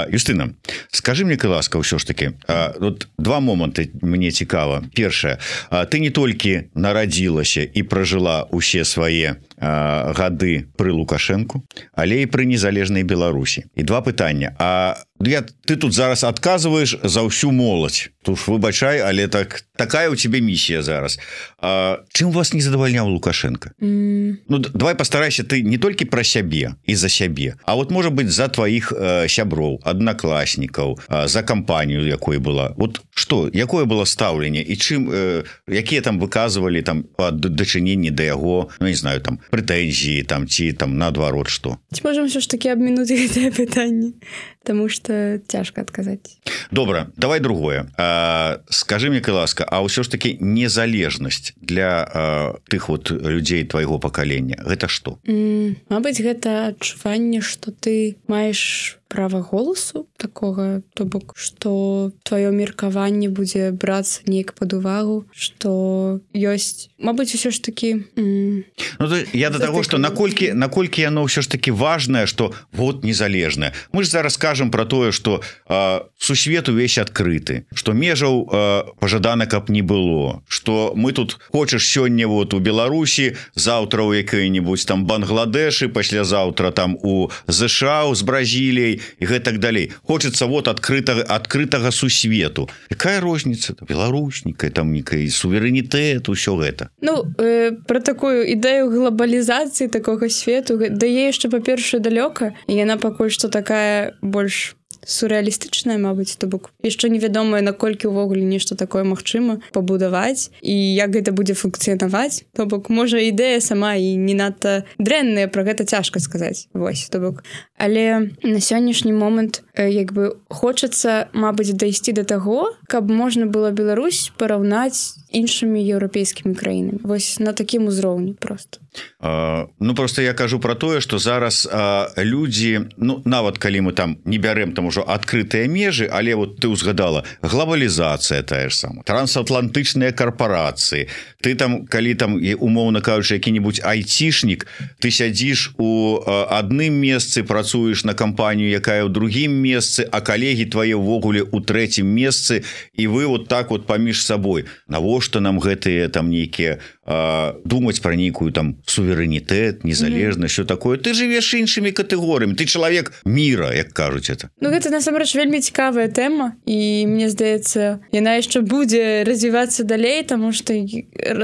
Юстына, скажи мне, ласка, ўсё ж таки, вот два моманты мне цікава. Першае, ты не толькі нарадзілася і пражыла усе свае гады пры Лукашэнку, але і пры незалежнай Беларусі. І два пытання. А я, ты тут зараз адказваеш за ўсю моладзь. Тут выбачай, але так такая у тебе місія зараз. А, чым вас не задавальняў Лукашенко? Mm. Ну давай постарайся ты не толькі пра сябе і за сябе, а вот можа быть за тваіх э, сяброў, аднакласнікаў, э, за кампанію, якой была. Вот што, якое было стаўленне і чым э, якія там выказвалі там дачыненні да яго, ну не знаю, там прэтэнзіі там ці там наадварот што. Ці можам ўсё ж такі абмінуць гэтае пытанне, таму што цяжка адказаць. Добра, давай другое. А, скажи мне, ласка, а ўсё ж такі незалежнасць для а, тых вот людзей твайго пакалення гэта што? Mm, мабыць, гэта адчуванне, што ты маеш права голасу такога, то бок, што тваё меркаванне будзе брацца неяк пад увагу, што ёсць, мабыць, усё ж такі м- ну, то я до таго, што наколькі наколькі яно ўсё ж такі важнае, што вот незалежнае. Мы ж зараз кажам пра тое, што э, сусвет увесь адкрыты, што межаў э, пажадана, каб не было, што мы тут хочаш сёння вот у Беларусі, заўтра ў якой-небудзь там Бангладэшы, паслязаўтра там у ЗША з Бразіліяй і гэтак далей. Хочется вот адкрытага адкрытага сусвету. Якая розніца? Беларусніка, там некий суверэнітэт, усё гэта. Ну, э, пра такую ідэю глобалізацыі такога свету, да яе яшчэ, па-першае, далёка, і яна пакуль што такая больш сюррэалістычная, мабыць, то бок яшчэ невядомае, наколькі ўвогуле нешта такое магчыма пабудаваць і як гэта будзе функцыянаваць. То бок, можа, ідэя сама і не надта дрэнная, пра гэта цяжка сказаць. Вось, то бок. Але на сённяшні момант як бы хочацца, мабыць, дайсці да таго, каб можна было Беларусь параўнаць іншымі еўрапейскімі краінамі. Вось на такім узроўні проста. Uh, ну просто я кажу про тое, што зараз uh, людзі, ну нават калі мы там не бярем там ужо адкрытыя межы, але вот ты узгадала глобалізацыя тая ж сама, трансатлантычныя карпорацыі. Ты там, калі там умоўна кажучы які-небудзь айцішнік, ты сядзіш у uh, адным месцы, працуеш на кампанію, якая ў другім месцы, а калегі твае ўвогуле ў трэцім месцы, і вы вот так вот паміж сабой. Навошта нам гэтыя там нейкія uh, думаць пра нейкую там суверэнітэт, незалежнасць, mm-hmm. що такое. Ты жывеш іншымі катэгорыямі, ты чалавек міра, як кажуць это. Ну гэта насамрэч вельмі цікавая тэма, і мне здаецца, яна яшчэ будзе развівацца далей, таму што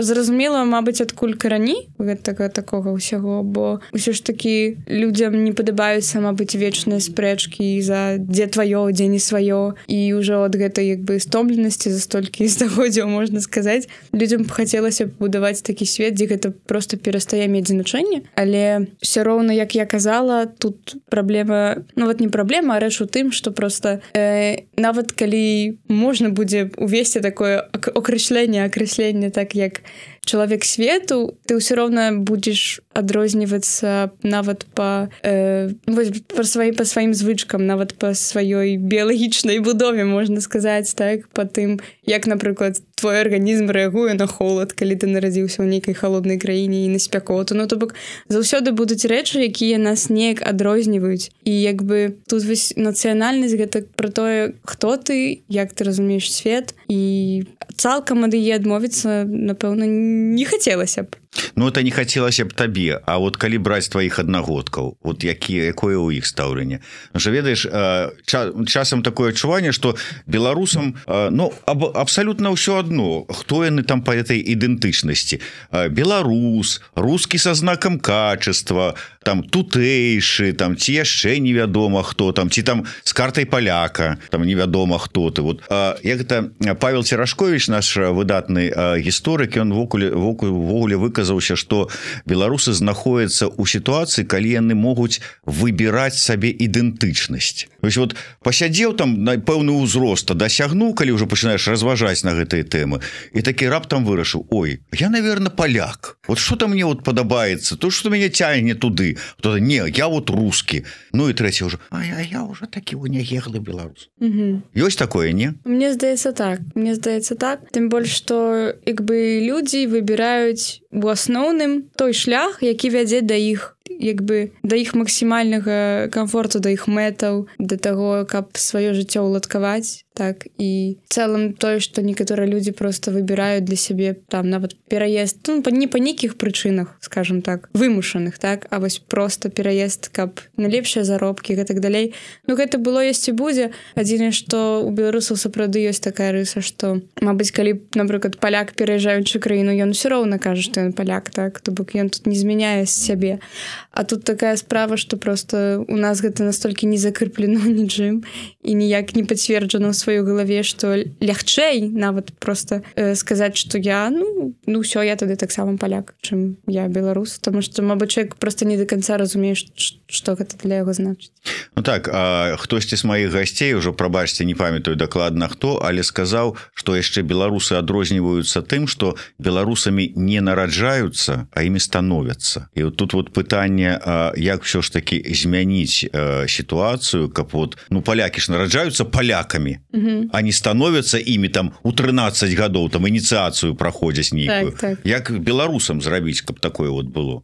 зразумела, мабыць, адкуль карані гэтага такога ўсяго, бо ўсё ж такі людзям не падабаюцца, мабыць, вечныя спрэчкі за дзе тваё, дзе не сваё, і ўжо ад гэтай як бы стомленасці за столькі стагоддзяў, можна сказаць, людзям б хацелася будаваць такі свет, дзе гэта проста перастае мець значэнне, але все роўна, як я казала, тут праблема, ну вот не праблема, а рэч у тым, што проста э, нават калі можна будзе увесці такое акрэсленне, акрэсленне так як чалавек свету, ты ўсё роўна будзеш адрознівацца нават па, э, па, сваі, па сваім звычкам, нават па сваёй біялагічнай будове, можна сказаць, так, па тым, як, напрыклад, твой арганізм рэагуе на холад, калі ты нарадзіўся ў нейкай халоднай краіне і на спякоту. Ну, то бок, заўсёды будуць рэчы, якія нас неяк адрозніваюць. І як бы тут вось нацыянальнасць гэта пра тое, хто ты, як ты разумееш свет, і цалкам ад яе адмовіцца, напэўна, не хацелася б. Ну, это не хацелася б табе, а вот калі браць тваіх аднагодкаў, вот які, якое ў іх стаўленне. Ну, що, ведаеш, ча, часам такое адчуванне, што беларусам, ну, аб, абсалютна ўсё адно, хто яны там па этой ідэнтычнасці. Беларус, рускі са знакам качества, там тутэйшы, там ці яшчэ невядома хто там, ці там з картай паляка, там невядома хто ты. Вот, як гэта Павел Церашкович, наш выдатны гісторык, ён вогуле выказаўся, што беларусы знаходзяцца ў сітуацыі, калі яны могуць выбіраць сабе ідэнтычнасць. Вось вот пасядзеў там на пэўны ўзрост, дасягнуў, калі ўжо пачынаеш разважаць на гэтыя тэмы, і такі раптам вырашыў: ой, я, наверное, паляк. Вот што-то мне вот падабаецца, то, што мяне цягне туды. ты, кто-то не, я вот русский, ну и третий уже, а я, я уже таки унягеглый белорус. Угу. Есть такое, не? Мне здаецца так, мне здаецца так, тым больш што як бы людзі выбіраюць у асноўным той шлях, які вядзе да іх як бы да іх максімальнага камфорту, да іх мэтаў, да таго, каб сваё жыццё ўладкаваць. Так, і в цэлым тое, што некаторыя людзі проста выбіраюць для сябе там нават пераезд, ну, не па нейкіх прычынах, скажем так, вымушаных, так, а вось проста пераезд, каб на лепшыя заробкі і гэтак далей. Ну, гэта было ёсць і будзе. Адзінае, што у беларусаў сапраўды ёсць такая рыса, што, мабыць, калі, напрыклад, паляк пераязджаючы краіну, ён усё роўна кажа, што ён паляк, так, то бок ён тут не змяняе сябе. А тут такая справа, што проста у нас гэта настолькі не закрыплено нічым і ніяк не пацверджана ў сваёй галаве, што лягчэй нават проста э, сказаць, што я, ну, ну ўсё, я тады таксама паляк, чым я беларус, таму што, мабыць, чалавек проста не да канца разумее, што гэта для яго значыць. Ну так, а хтосьці з маіх гасцей, ужо, прабачце, не памятаю дакладна хто, але сказаў, што яшчэ беларусы адрозніваюцца тым, што беларусамі не нараджаюцца, а імі становяцца. І вот тут вот пытанне, як ўсё ж такі змяніць сітуацыю, каб вот, ну, палякі ж нараджаюцца палякамі, угу. а не становяцца імі там у трынаццаць гадоў, там ініцыяцыю праходзяць нейкую. Так, так. Як беларусам зрабіць, каб такое вот было?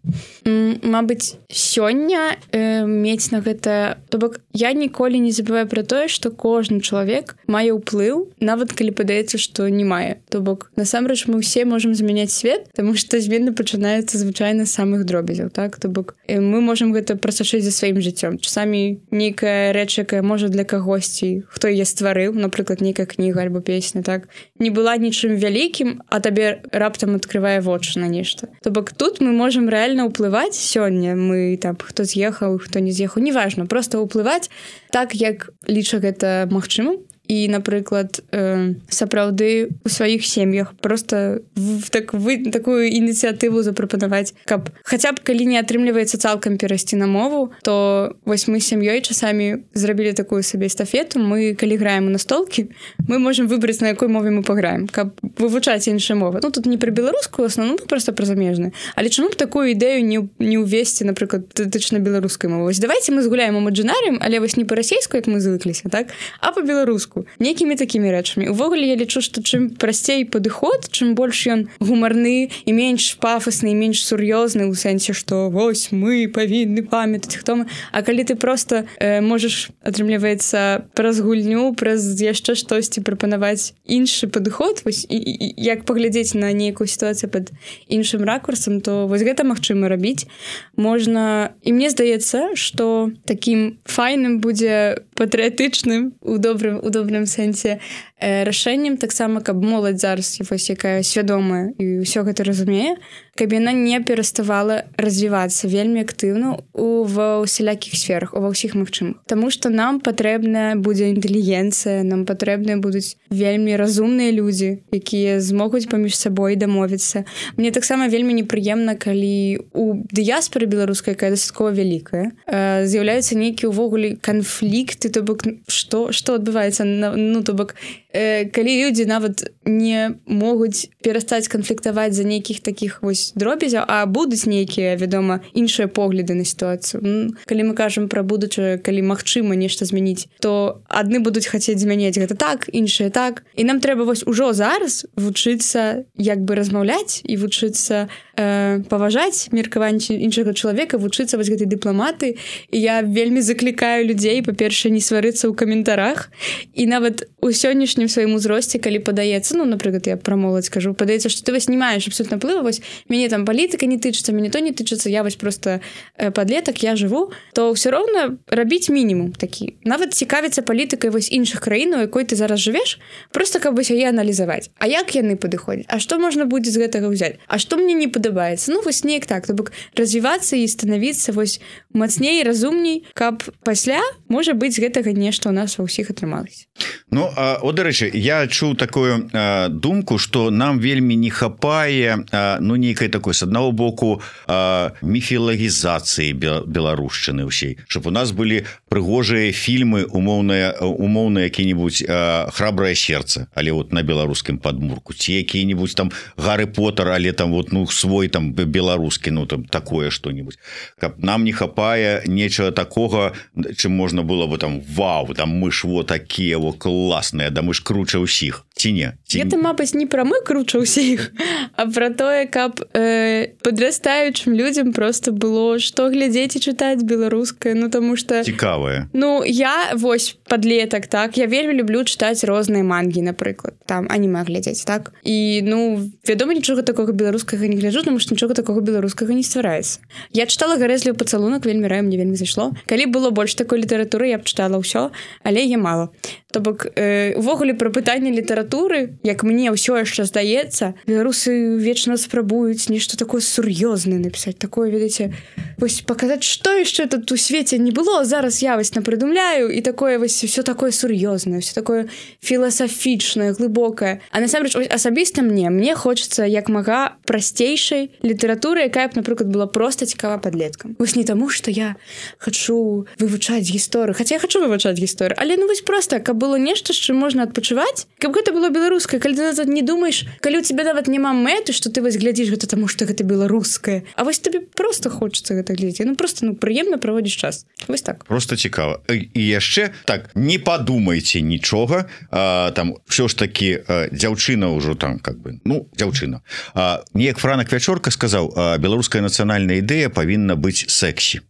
Мабыць, сёння э, мець на гэта... То бок, я ніколі не забываю пра тое, што кожны чалавек мае ўплыў, нават калі падаецца, што не мае. То бок, насамрэч, мы ўсе можам змяняць свет, таму што змены пачынаюцца звычайна з самых дробязяў, так? То бок, э, мы можам гэта прасачыць за сваім жыццём. Часамі нейкая рэч, якая можа для кагосьці, хто яе стварыў, напрыклад, нейкая кніга альбо песня, так? Не была нічым вялікім, а табе раптам адкрывае вочы на нешта. То бок, тут мы можам рэальна ўплываць сёння. Мы там, хто з'ехаў, хто не з'ехаў, неважна, просто ўплываць так, як ліча гэта магчымым. І, напрыклад, э, сапраўды у сваіх сем'ях просто в, так, вы, такую ініцыятыву запрапанаваць, каб хаця б калі не атрымліваецца цалкам перайсці на мову, то вось мы з сям'ёй часамі зрабілі такую сабе эстафету. Мы, калі граем у настолкі, мы можам выбраць, на якой мове мы паграем, каб вывучаць іншыя мовы. Ну, тут не пра беларускую асноўную, ну, просто пра замежную. Але чаму б такую ідэю не, не ўвесці, напрыклад, датычна беларускай мовы? Вось давайце мы згуляем імаджынарыем, але вось не па-расейску, як мы звыкліся, так? А па-беларуску. Нейкімі такімі рэчамі. Увогуле, я лічу, што чым прасцей падыход, чым больш ён гумарны і менш пафасны, і менш сур'ёзны ў сэнсе, што вось мы павінны памятаць, хто мы. А калі ты проста э, можаш, атрымліваецца, праз гульню, праз яшчэ штосьці прапанаваць іншы падыход, вось, і, і, як паглядзець на нейкую сітуацыю пад іншым ракурсам, то вось гэта магчыма рабіць. Можна... І мне здаецца, што такім файным будзе патрыятычным у добрым, у добрым сэнсе э, рашэннем таксама, каб моладзь зараз, вось, якая свядомая і ўсё гэта разумее, каб яна не пераставала развівацца вельмі актыўна у ва ўсялякіх сферах, ува ўсіх магчымых. Таму што нам патрэбная будзе інтэлігенцыя, нам патрэбныя будуць вельмі разумныя людзі, якія змогуць паміж сабой дамовіцца. Мне таксама вельмі непрыемна, калі у дыяспоры беларускай, якая дастаткова вялікая, э, з'яўляюцца нейкія ўвогуле канфлікты, то бок што, што адбываецца, ну, то бок э, калі людзі нават не могуць перастаць канфліктаваць за нейкіх такіх вось дробязяў, а будуць нейкія, вядома, іншыя погляды на сітуацыю. Ну, калі мы кажам пра будучае, калі магчыма нешта змяніць, то адны будуць хацець змяняць гэта так, іншыя так. І нам трэба вось ужо зараз вучыцца як бы размаўляць і вучыцца э, паважаць меркаванне іншага чалавека, вучыцца вось гэтай дыпламаты. І я вельмі заклікаю людзей, па-першае, не сварыцца ў каментарах. І нават у сённяшнім сваім узросце, калі падаецца, ну, напрыклад, я пра моладзь кажу, падаецца, што ты вось не маеш абсолютна плыва, вось мяне там палітыка не тычыцца, мяне то не тычыцца, я вось просто э, падлетак, я жыву, то ўсё роўна рабіць мінімум такі. Нават цікавіцца палітыкай вось іншых краін, у якой ты зараз жывеш, просто каб вось яе аналізаваць. А як яны падыходзяць? А што можна будзе з гэтага ўзяць? А што мне не падабаецца? Ну, вось неяк так, то бок развівацца і станавіцца вось мацней, разумней, каб пасля, можа быць, з гэтага нешта у нас ва ўсіх атрымалася. Ну, а, о, дарэчы, Дарэчы, я чуў такую э, думку, што нам вельмі не хапае э, ну нейкай такой з аднаго боку э, міфілагізацыі беларушчыны ўсей, щоб у нас былі прыгожыя фільмы умоўныя умоўныя які-нибудь э, храбрае сердце, але вот на беларускім падмурку, ці які-нибудь там Гаррі Поттер, але там вот ну свой там беларускі, ну там такое что-нибудь. Каб нам не хапае нечага такога, чым можна было бы там вау, там мы ж вот такія во класныя, да мы ж круче ўсіх. Ці не? Ці... Гэта, мабыць, не пра мы круче ўсіх, а пра тое, каб э, падрастаючым людзям просто было што глядзець і чытаць беларускае, ну таму што... Цікавае. Ну, я, вось, падлетак, так, я вельмі люблю чытаць розныя мангі, напрыклад, там, аніме глядзець, так? І, ну, вядома, нічога такога беларускага не гляджу, таму што нічога такога беларускага не ствараецца. Я чытала «Гарэзлівы пацалунак», вельмі раю, мне вельмі зайшло. Калі было больш такой літаратуры, я б чытала ўсё, але я мала. То бок, э, увогуле пра пытанне літаратуры, як мне ўсё яшчэ здаецца, беларусы вечна спрабуюць нешта такое сур'ёзнае напісаць, такое, ведаеце, вось паказаць, што яшчэ тут у свеце не было, зараз я вось напрыдумляю, і такое вось усё такое сур'ёзнае, усё такое філасафічнае, глыбокае. А насамрэч, асабіста мне, мне хочацца як мага прасцейшай літаратуры, якая б, напрыклад, была проста цікава падлеткам. Вось не таму, што я хачу вывучаць гісторыю, хаця я хачу вывучаць гісторыю, але ну вось проста, каб было нешта, з чым можна адпачываць, каб гэта было беларускае, калі ты назад не думаеш, калі у цябе нават няма мэты, што ты вось глядзіш гэта таму, што гэта беларускае, а вось табе просто хочацца гэта глядзець, ну просто ну прыемна праводзіш час. Вось так. Просто цікава. І яшчэ так, не падумайце нічога, а, там ўсё ж такі а, дзяўчына ўжо там как бы, ну, дзяўчына. А, неяк Франак Вячорка сказаў, а, беларуская нацыянальная ідэя павінна быць сэксі.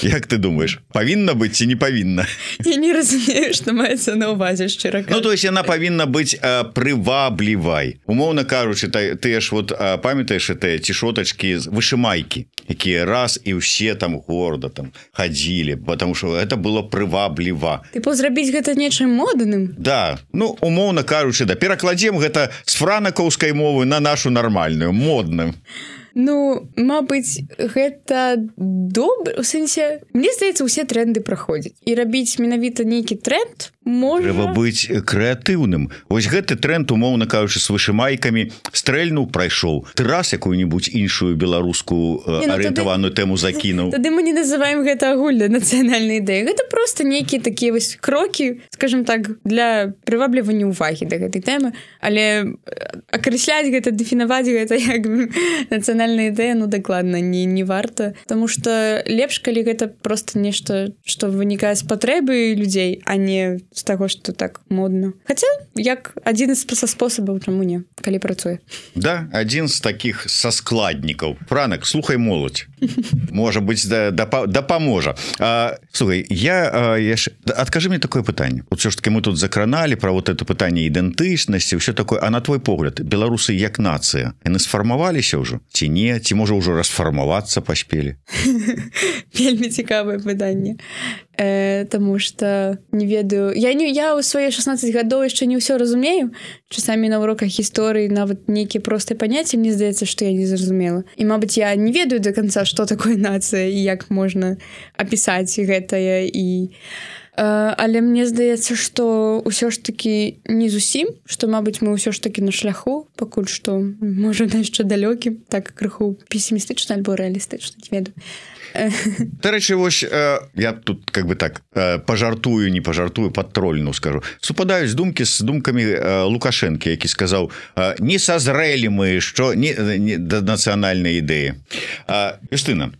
Як ты думаеш, павінна быць ці не павінна? Я не разумею, што маецца на ўвазе, шчыра кажучы. Ну, то есть яна павінна быць а, прываблівай. Умоўна кажучы, ты ж вот а, памятаеш гэтыя цішотачкі з вышымайкі, якія раз і ўсе там горда там хадзілі, потому что это было прывабліва. Ты зрабіць гэта нечым модным? Да, ну, умоўна кажучы, да, перакладзем гэта з франакаўскай мовы на нашу нармальную, модным. Ну, мабыць, гэта добра, у сэнсе, мне здаецца, усе тренды праходзяць. І рабіць менавіта нейкі тренд можна... Трэба быць крэатыўным. Вось гэты тренд, умоўна кажучы, з вышымайкамі стрэльнуў, прайшоў. Ты раз якую-нибудь іншую беларускую не, ну, арыентаваную тады... тэму закінуў. Тады мы не называем гэта агульнай нацыянальнай ідэяй. Гэта проста нейкія такія вось крокі, скажем так, для прываблівання ўвагі да гэтай тэмы, але акрэсляць гэта, дэфінаваць гэта як нацыянальная ідэя, ну, дакладна, не, не варта. Таму што лепш, калі гэта проста нешта, што вынікае з патрэбы людзей, а не з таго, што так модна. Хаця, як адзін з спосабаў, чаму не, калі працуе. Да, адзін з такіх са складнікаў. Франак, слухай моладзь. Можа быць, дапаможа. Да, слухай, я, я ж... адкажы мне такое пытанне. Вот ўсё ж таки мы тут закраналі пра вот это пытанне ідэнтычнасці, ўсё такое. А на твой погляд, беларусы як нацыя, яны сфармаваліся ўжо? Ці не? Ці можа ўжо расфармавацца паспелі? Вельмі цікавае пытанне. Э, таму што не ведаю, я не я ў свае шаснаццаць гадоў яшчэ не ўсё разумею, часамі на уроках гісторыі нават нейкія простыя паняцці, мне здаецца, што я не зразумела, і мабыць я не ведаю да канца, што такое нацыя і як можна апісаць гэтае, і э, але мне здаецца, што ўсё ж такі не зусім, што мабыць мы ўсё ж такі на шляху, пакуль што можа яшчэ далёкім, так крыху песімістычна альбо рэалістычна, не ведаю. Дарэчы, вось я тут как бы так пажартую, не пажартую, падтрольну скажу. Супадаюць думкі з думкамі Лукашэнкі, які сказаў: не сазрэлі мы, што не, не да нацыянальнай ідэі. Юстына,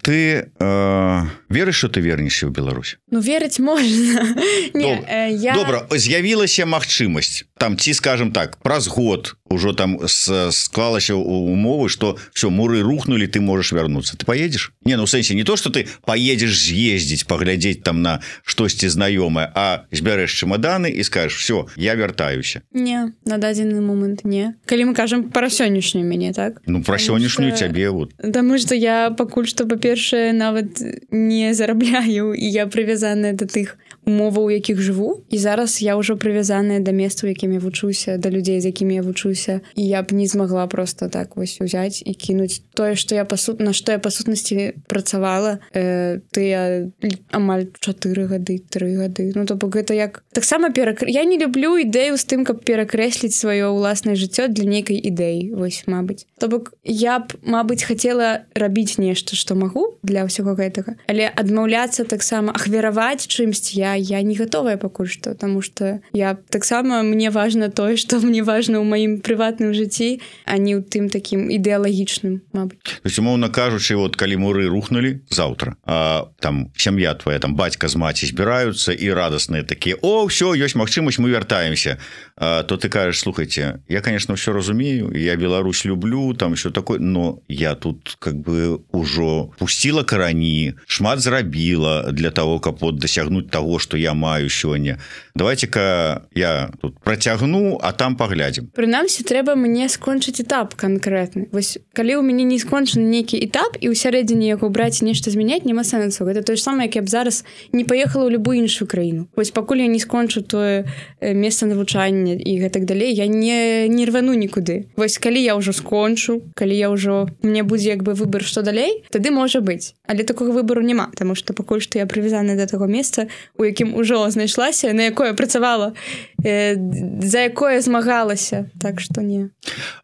ты э, верыш, што ты вернешся ў Беларусь? Ну, верыць можна. Не, Доб... э, я... Добра, з'явілася магчымасць там, ці, скажем так, праз год ужо там склалася умовы, што все, муры рухнули, ты можаш вярнуцца. Ты поедешь? Не, ну, в сэнсе, не то, што ты поедешь з'ездзіць, паглядзець там на штосьці знаёмае, а збярэш чемоданы і скажешь: все, я вяртаюся. Не, на дадзены момант не. Калі мы кажам пра сённяшнюю мяне, так? Ну, пра сённяшнюю што... цябе вот. Таму што я пакуль што, па-першае, нават не зарабляю, і я прывязаная да тых умоваў, у якіх жыву, і зараз я ўжо прывязаная да месца, у якім я вучуся, да людзей, з якімі я вучуся, і я б не змагла просто так вось узяць і кінуць тое, што я пасу... на што я па сутнасці працавала э, тыя амаль чатыры гады, тры гады. Ну то бок гэта як таксама перак... я не люблю ідэю з тым, каб перакрэсліць сваё ўласнае жыццё для нейкай ідэі, вось, мабыць. То бок я б, мабыць, хацела рабіць нешта, што магу для ўсяго гэтага, але адмаўляцца таксама, ахвяраваць чымсьці я я не гатовая пакуль што, таму што я таксама, мне важна тое, што мне важна ў маім прыватным жыцці, а не ў тым такім ідэалагічным, мабыць. То есть, умоўна кажучы, вот калі муры рухнули заўтра, а там сям'я твоя, там бацька з маці збіраюцца і радасныя такія: о, ўсё, ёсць магчымасць, мы вяртаемся. А, то ты кажаш: слухайте, я, конечно, все разумею, я Беларусь люблю, там все такое, но я тут как бы ужо пусціла карані, шмат зрабіла для того, каб вот дасягнуць того, что я маю сёння. Давайте-ка я тут працягну, а там паглядзім. Прынамсі, трэба мне скончыць этап канкрэтны. Вось калі ў мяне не скончаны нейкі этап і ў сярэдзіне яго браць нешта змяняць, няма сэнсу. Гэта тое ж самае, як я б зараз не паехала ў любую іншую краіну. Вось пакуль я не скончу тое месца навучання і гэтак далей, я не, не рвану нікуды. Вось калі я ўжо скончу, калі я ўжо мне будзе як бы выбар, што далей, тады можа быць. Але такога выбару няма, таму што пакуль што я прывязана да таго месца, у якім ужо знайшлася, на якое працавала, э, за якое змагалася, так што не.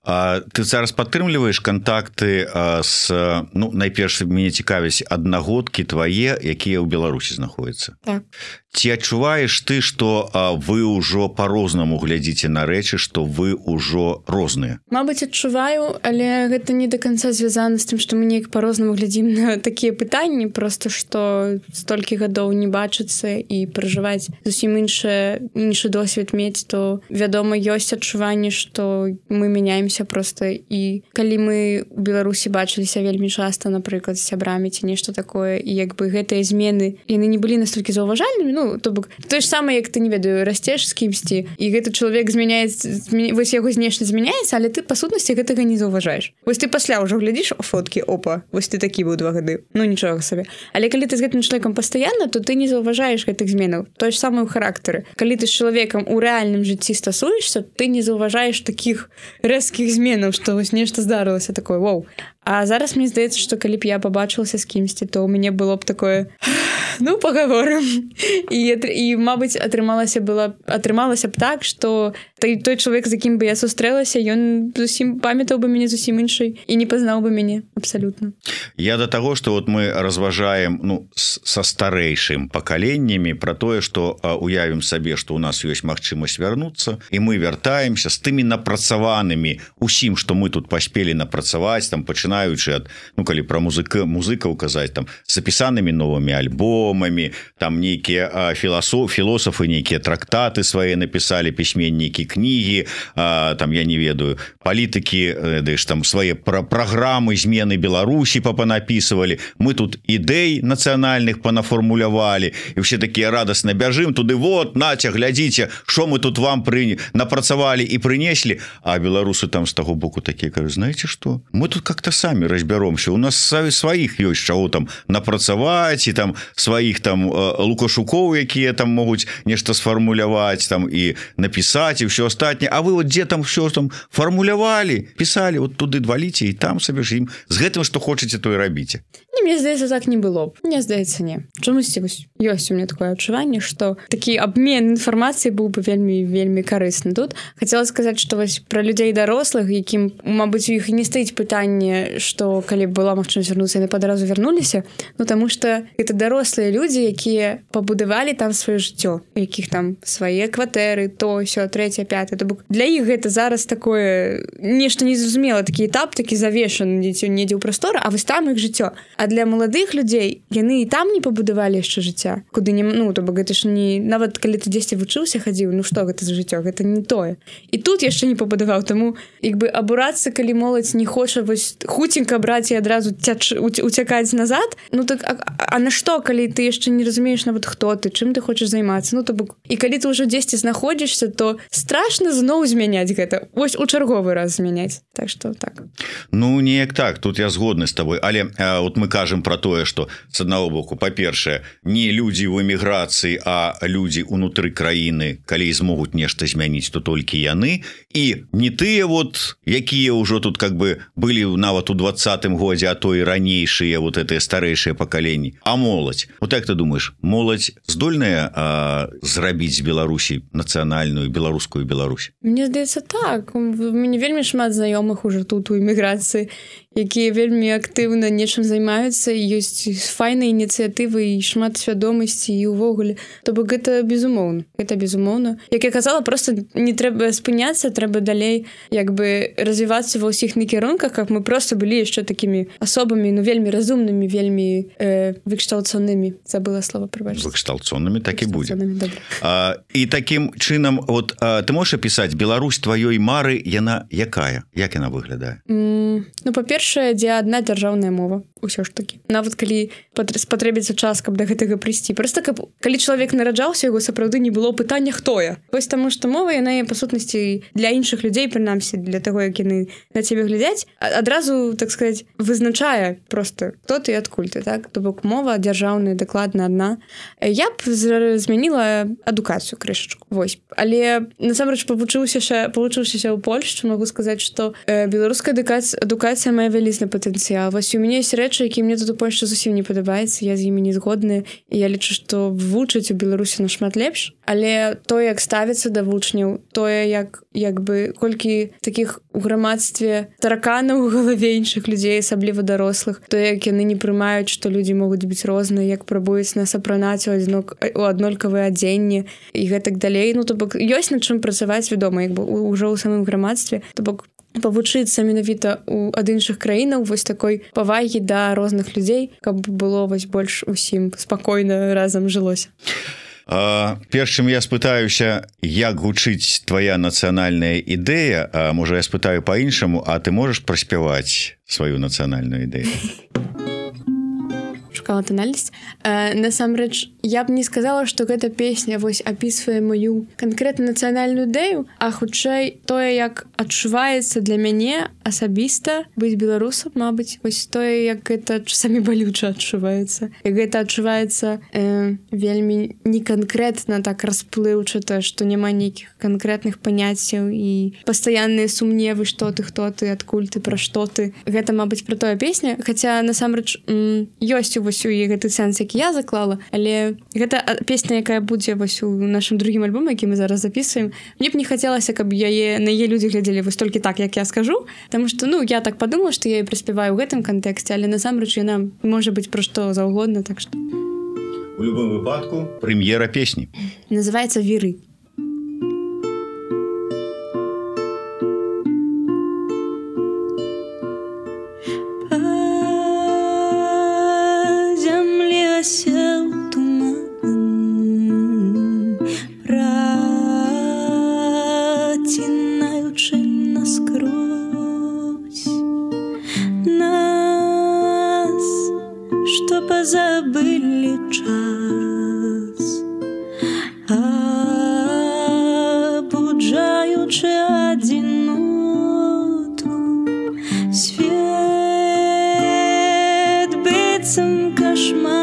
А ты зараз падтрымліваеш кантакты з, ну, найперш мяне цікавяць аднагодкі твае, якія ў Беларусі знаходзяцца. Так. Ці адчуваеш ты, што вы ўжо па-рознаму глядзіце на рэчы, што вы ўжо розныя? Мабыць, адчуваю, але гэта не да канца звязана з тым, што мы неяк па-рознаму глядзім на такія пытанні, проста што столькі гадоў не бачыцца і пражываць зусім іншы, іншы досвед мець, то, вядома, ёсць адчуванне, што мы мяняемся проста, і калі мы ў Беларусі бачыліся вельмі часта, напрыклад, з сябрамі ці нешта такое, і як бы гэтыя змены, яны не былі настолькі заўважальнымі, ну, то бок, тое ж самае, як ты, не ведаю, расцеш з кімсьці, і гэты чалавек змяняецца, змя... вось яго знешне змяняецца, але ты, па сутнасці, гэтага не заўважаеш. Вось ты пасля ўжо глядзіш фоткі, опа, вось ты такі быў два гады, ну, нічога сабе. Але калі ты з гэтым чалавекам пастаянна, то ты не заўважаеш гэтых зменаў. Тое ж самае ў характары. Калі ты з чалавекам у рэальным жыцці стасуешся, ты не заўважаеш такіх рэзкіх зменаў, што вось нешта здарылася такое, воу. А зараз мне здаецца, што калі б я пабачылася з кімсьці, то ў мяне было б такое: ну, пагаворым. І, і мабыць, атрымалася, была, атрымалася б так, што той, той чалавек, з якім бы я сустрэлася, ён зусім памятаў бы мяне зусім іншай і не пазнаў бы мяне абсалютна. Я да таго, што вот мы разважаем, ну, са старэйшым пакаленнямі пра тое, што уявім сабе, што ў нас ёсць магчымасць вярнуцца, і мы вяртаемся з тымі напрацаванымі усім, што мы тут паспелі напрацаваць, там пачынаючы ад, ну, калі пра музыка, музыкаў казаць, там запісанымі новымі альбомамі, там нейкія філософ, філосафы нейкія трактаты свае напісалі, пісьменнікі кнігі, а, там, я не ведаю, палітыкі, дэш, там свае пра праграмы змены Беларусі папанапісывалі, мы тут ідэй нацыянальных панафармулявалі, і все такія радасна бяжым туды: вот, наця, глядзіце, што мы тут вам пры... напрацавалі і прынеслі. А беларусы там з таго боку такія кажуць: знаеце што, мы тут как-то самі разбяромся, у нас сваіх ёсць чаго там напрацаваць, і там сваіх там лукашукоў, якія там могуць нешта сфармуляваць там і напісаць, і ўсё астатняе. А вы вот дзе там все там фармулявалі, пісалі, вот туды дваліце, і там сабе ж ім з гэтым, што хочаце, то і рабіце. Не, мне здаецца, так не было б. Мне здаецца, не. Чамусьці ёсць у меня такое адчуванне, што такі абмен інфармацыі быў бы вельмі вельмі карысны. Тут хацела сказаць, што вось пра людзей дарослых, якім, мабыць, у іх не стаіць пытанне, што калі была магчымасць вярнуцца, яны падразу вярнуліся, ну таму што гэта дарослыя людзі, якія пабудавалі там сваё жыццё, якіх там свае кватэры, то сё, трэцяе, пятае. То бок для іх гэта зараз такое нешта незразумела, такі этап, такі завешаны недзе ў прасторы, а вось там іх жыццё. А для маладых людзей яны і там не пабудавалі яшчэ жыцця, куды не, ну, то бок гэта ж не, нават калі ты дзесьці вучыўся, хадзіў, ну што гэта за жыццё, гэта не тое. І тут яшчэ не пабудаваў, таму як бы абурацца, калі моладзь не хоча вось хуценька браць і адразу цяч, уцякаць назад, ну так а, а на што, калі ты яшчэ не разумееш нават хто ты, чым ты хочаш займацца, ну то бок, і калі ты ўжо дзесьці знаходзішся, то страшна зноў змяняць гэта, вось у чарговы раз змяняць, так што так. Ну неяк так, тут я згодны з табой, але а, от мы кажам про тое, что с аднаго боку, па-першае, не людзі в эміграцыі, а людзі унутры краіны, калі змогуць нешта змяніць, то толькі яны, і не тыя вот, якія ўжо тут как бы былі нават у двадцатым годзе, а то і ранейшыя вот гэтыя старэйшыя пакаленні, а моладзь. Вот як ты думаешь, моладзь здольная а, зрабіць з Беларусі нацыянальную беларускую Беларусь? Мне здаецца так. У мяне вельмі шмат знаёмых уже тут у эміграцыі, якія вельмі актыўна нечым займаюцца, ёсць файныя ініцыятывы і шмат свядомасці і ўвогуле. То бок гэта безумоўна. Гэта безумоўна. Як я казала, просто не трэба спыняцца, трэба далей як бы развівацца ва ўсіх накірунках, как мы просто былі яшчэ такімі асобамі, ну вельмі разумнымі, вельмі э, выкшталцонымі. Забыла слова, прабачце. Выкшталцонымі так і будзе. А, і такім чынам, вот а, ты можаш апісаць Беларусь тваёй мары, яна якая? Як яна выглядае? Mm, ну, па-першае, дзе адна дзяржаўная мова. Усё ж такі. Нават калі спатрэбіцца час, каб да гэтага прыйсці. Просто каб, калі чалавек нараджаўся, яго сапраўды не было пытання, хто я. Вось таму, што мова, яна, па сутнасці, для іншых людзей, прынамсі, для таго, як яны на цябе глядзяць, адразу, так сказаць, вызначае просто, хто ты і адкуль ты, так? То бок мова дзяржаўная, дакладна адна. Я б змяніла адукацыю крышачку. Вось. Але, насамрэч, павучыўся павучыўшыся ў Польшчы, магу сказаць, што э, беларуская адукацыя, адукацыя мае вялізны патэнцыял. Вось у мяне ёсць рэчы, які мне тут у Польшчы зусім не падабаецца, я з імі не згодная, і я лічу, што вучыць у Беларусі нашмат лепш, але тое, як ставіцца да вучняў, тое, як, як бы, колькі такіх у грамадстве тараканаў у галаве іншых людзей, асабліва дарослых, тое, як яны не прымаюць, што людзі могуць быць розныя, як прабуюць нас апранаць у, адзнок... у аднолькавыя адзенні і гэтак далей. Ну, то бок, ёсць над чым працаваць, вядома, як бы, ўжо ў самым грамадстве, то бок, павучыцца менавіта у ад іншых краінаў вось такой павагі да розных людзей, каб было вось больш усім спакойна разам жылося. А, перш чым я спытаюся, як гучыць твая нацыянальная ідэя, а можа я спытаю па-іншаму, а ты можаш праспяваць сваю нацыянальную ідэю? Шукала тональнасць. Э, насамрэч, я б не сказала, што гэта песня вось апісвае маю канкрэтна нацыянальную ідэю, а хутчэй тое, як адчуваецца для мяне асабіста быць беларусам, мабыць, вось тое, як гэта часамі балюча адчуваецца. Як гэта адчуваецца э, вельмі не канкрэтна так расплыўчата, што няма нейкіх канкрэтных паняццяў і пастаянныя сумневы, што ты, хто ты, адкуль ты, пра што ты. Гэта, мабыць, пра тое песня, хаця насамрэч м, ёсць у вось у гэты сэнс, які я заклала, але гэта песня, якая будзе вось у нашым другім альбоме, які мы зараз записываем. Мне б не хацелася, каб яе на яе людзі глядзелі вось толькі так, як я скажу, таму што, ну, я так падумала, што я і праспяваю ў гэтым кантэксце, але насамрэч яна можа быць пра што заўгодна, так што у любым выпадку прэм'ера песні называецца «Віры». Сел туман, протинаючи наскрозь нас, что позабыли час, обуджаючи одиноту, свет быццам кошмар.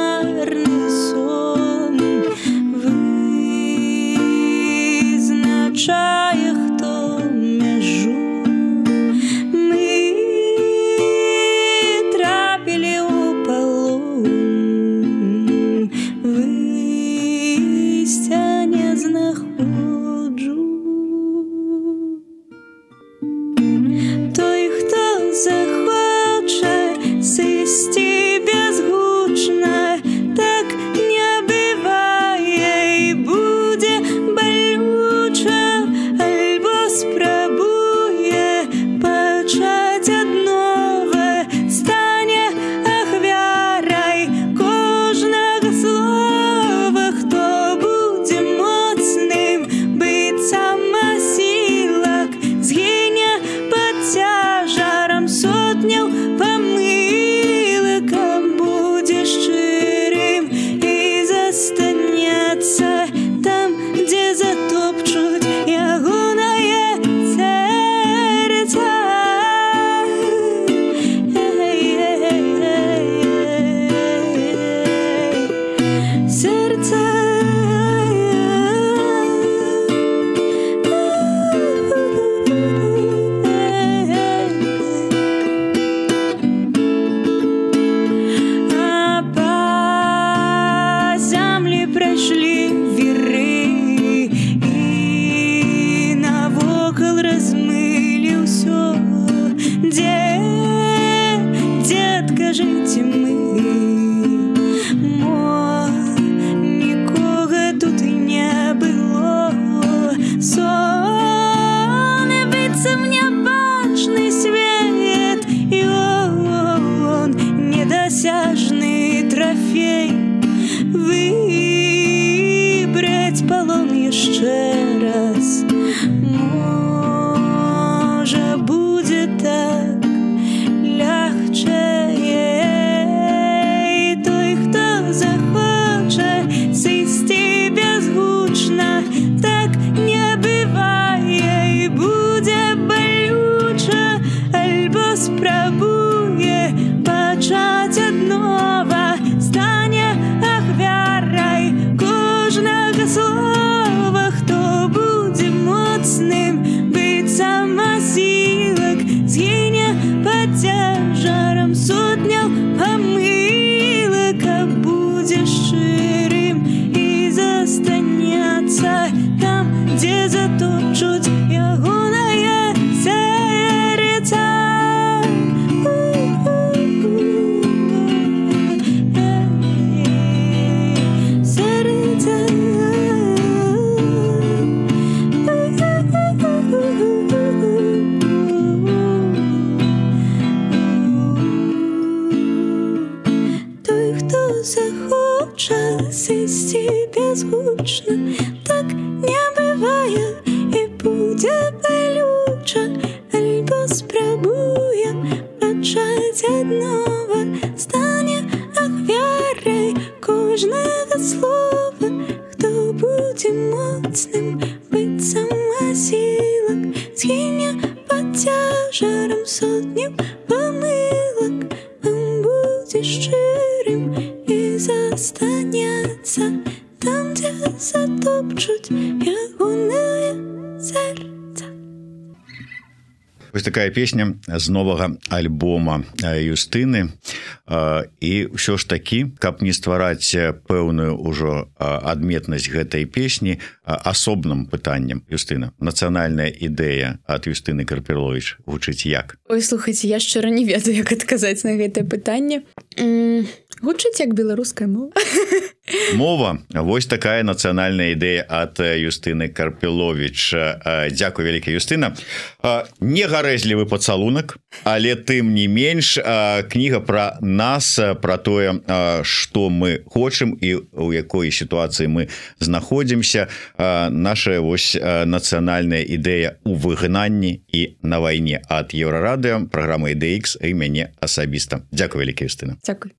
нас. Можа будзе так лягчэй. І той, хто захоча сысці бязгучна, так не бывае, і будзе балюча, альбо спрабуе пачаць аднова, стане ахвярай кожнага слова. Хто будзе моцным, быццам асілак, згіне пад цяжарам сотняў памылак, а будзе шчырым і застанецца там, дзе затопчуць ягонае сэрца. Сэрца. Той, хто захоча сысці бязгучна, так не бывае, і будзе балюча, альбо спрабуе пачаць аднова, стане ахвярай кожнага слова. Хто будзе моцным, быццам асілак, згіне пад цяжарам сотняў памылак, а будзе шчырым і застанецца там, дзе затопчуць ягонае сэрца. Вось такая песня з новага альбома Юстыны. І ўсё ж такі, каб не ствараць пэўную ўжо адметнасць гэтай песні, асобным пытаннем, Юстына, нацыянальная ідэя ад Юстыны Карпіловіч гучыць як? Ой, слухайце, я шчыра не ведаю, як адказаць на гэтае пытанне. М, Гучыць як беларуская мова. Мова, вось такая нацыянальная ідэя ад Юстыны Карпіловіч. Дзякуй вяліка, Юстына. Не гарэзлівы пацалунак, але тым не менш, кніга пра нас, пра тое, што мы хочам і ў якой сітуацыі мы знаходзімся. Наша вось нацыянальная ідэя ў выгнанні і на вайне ад Еўрарадыё, праграма Ідэя Ікс і мяне асабіста. Дзякуй вяліка, Юстына. Дзякуй.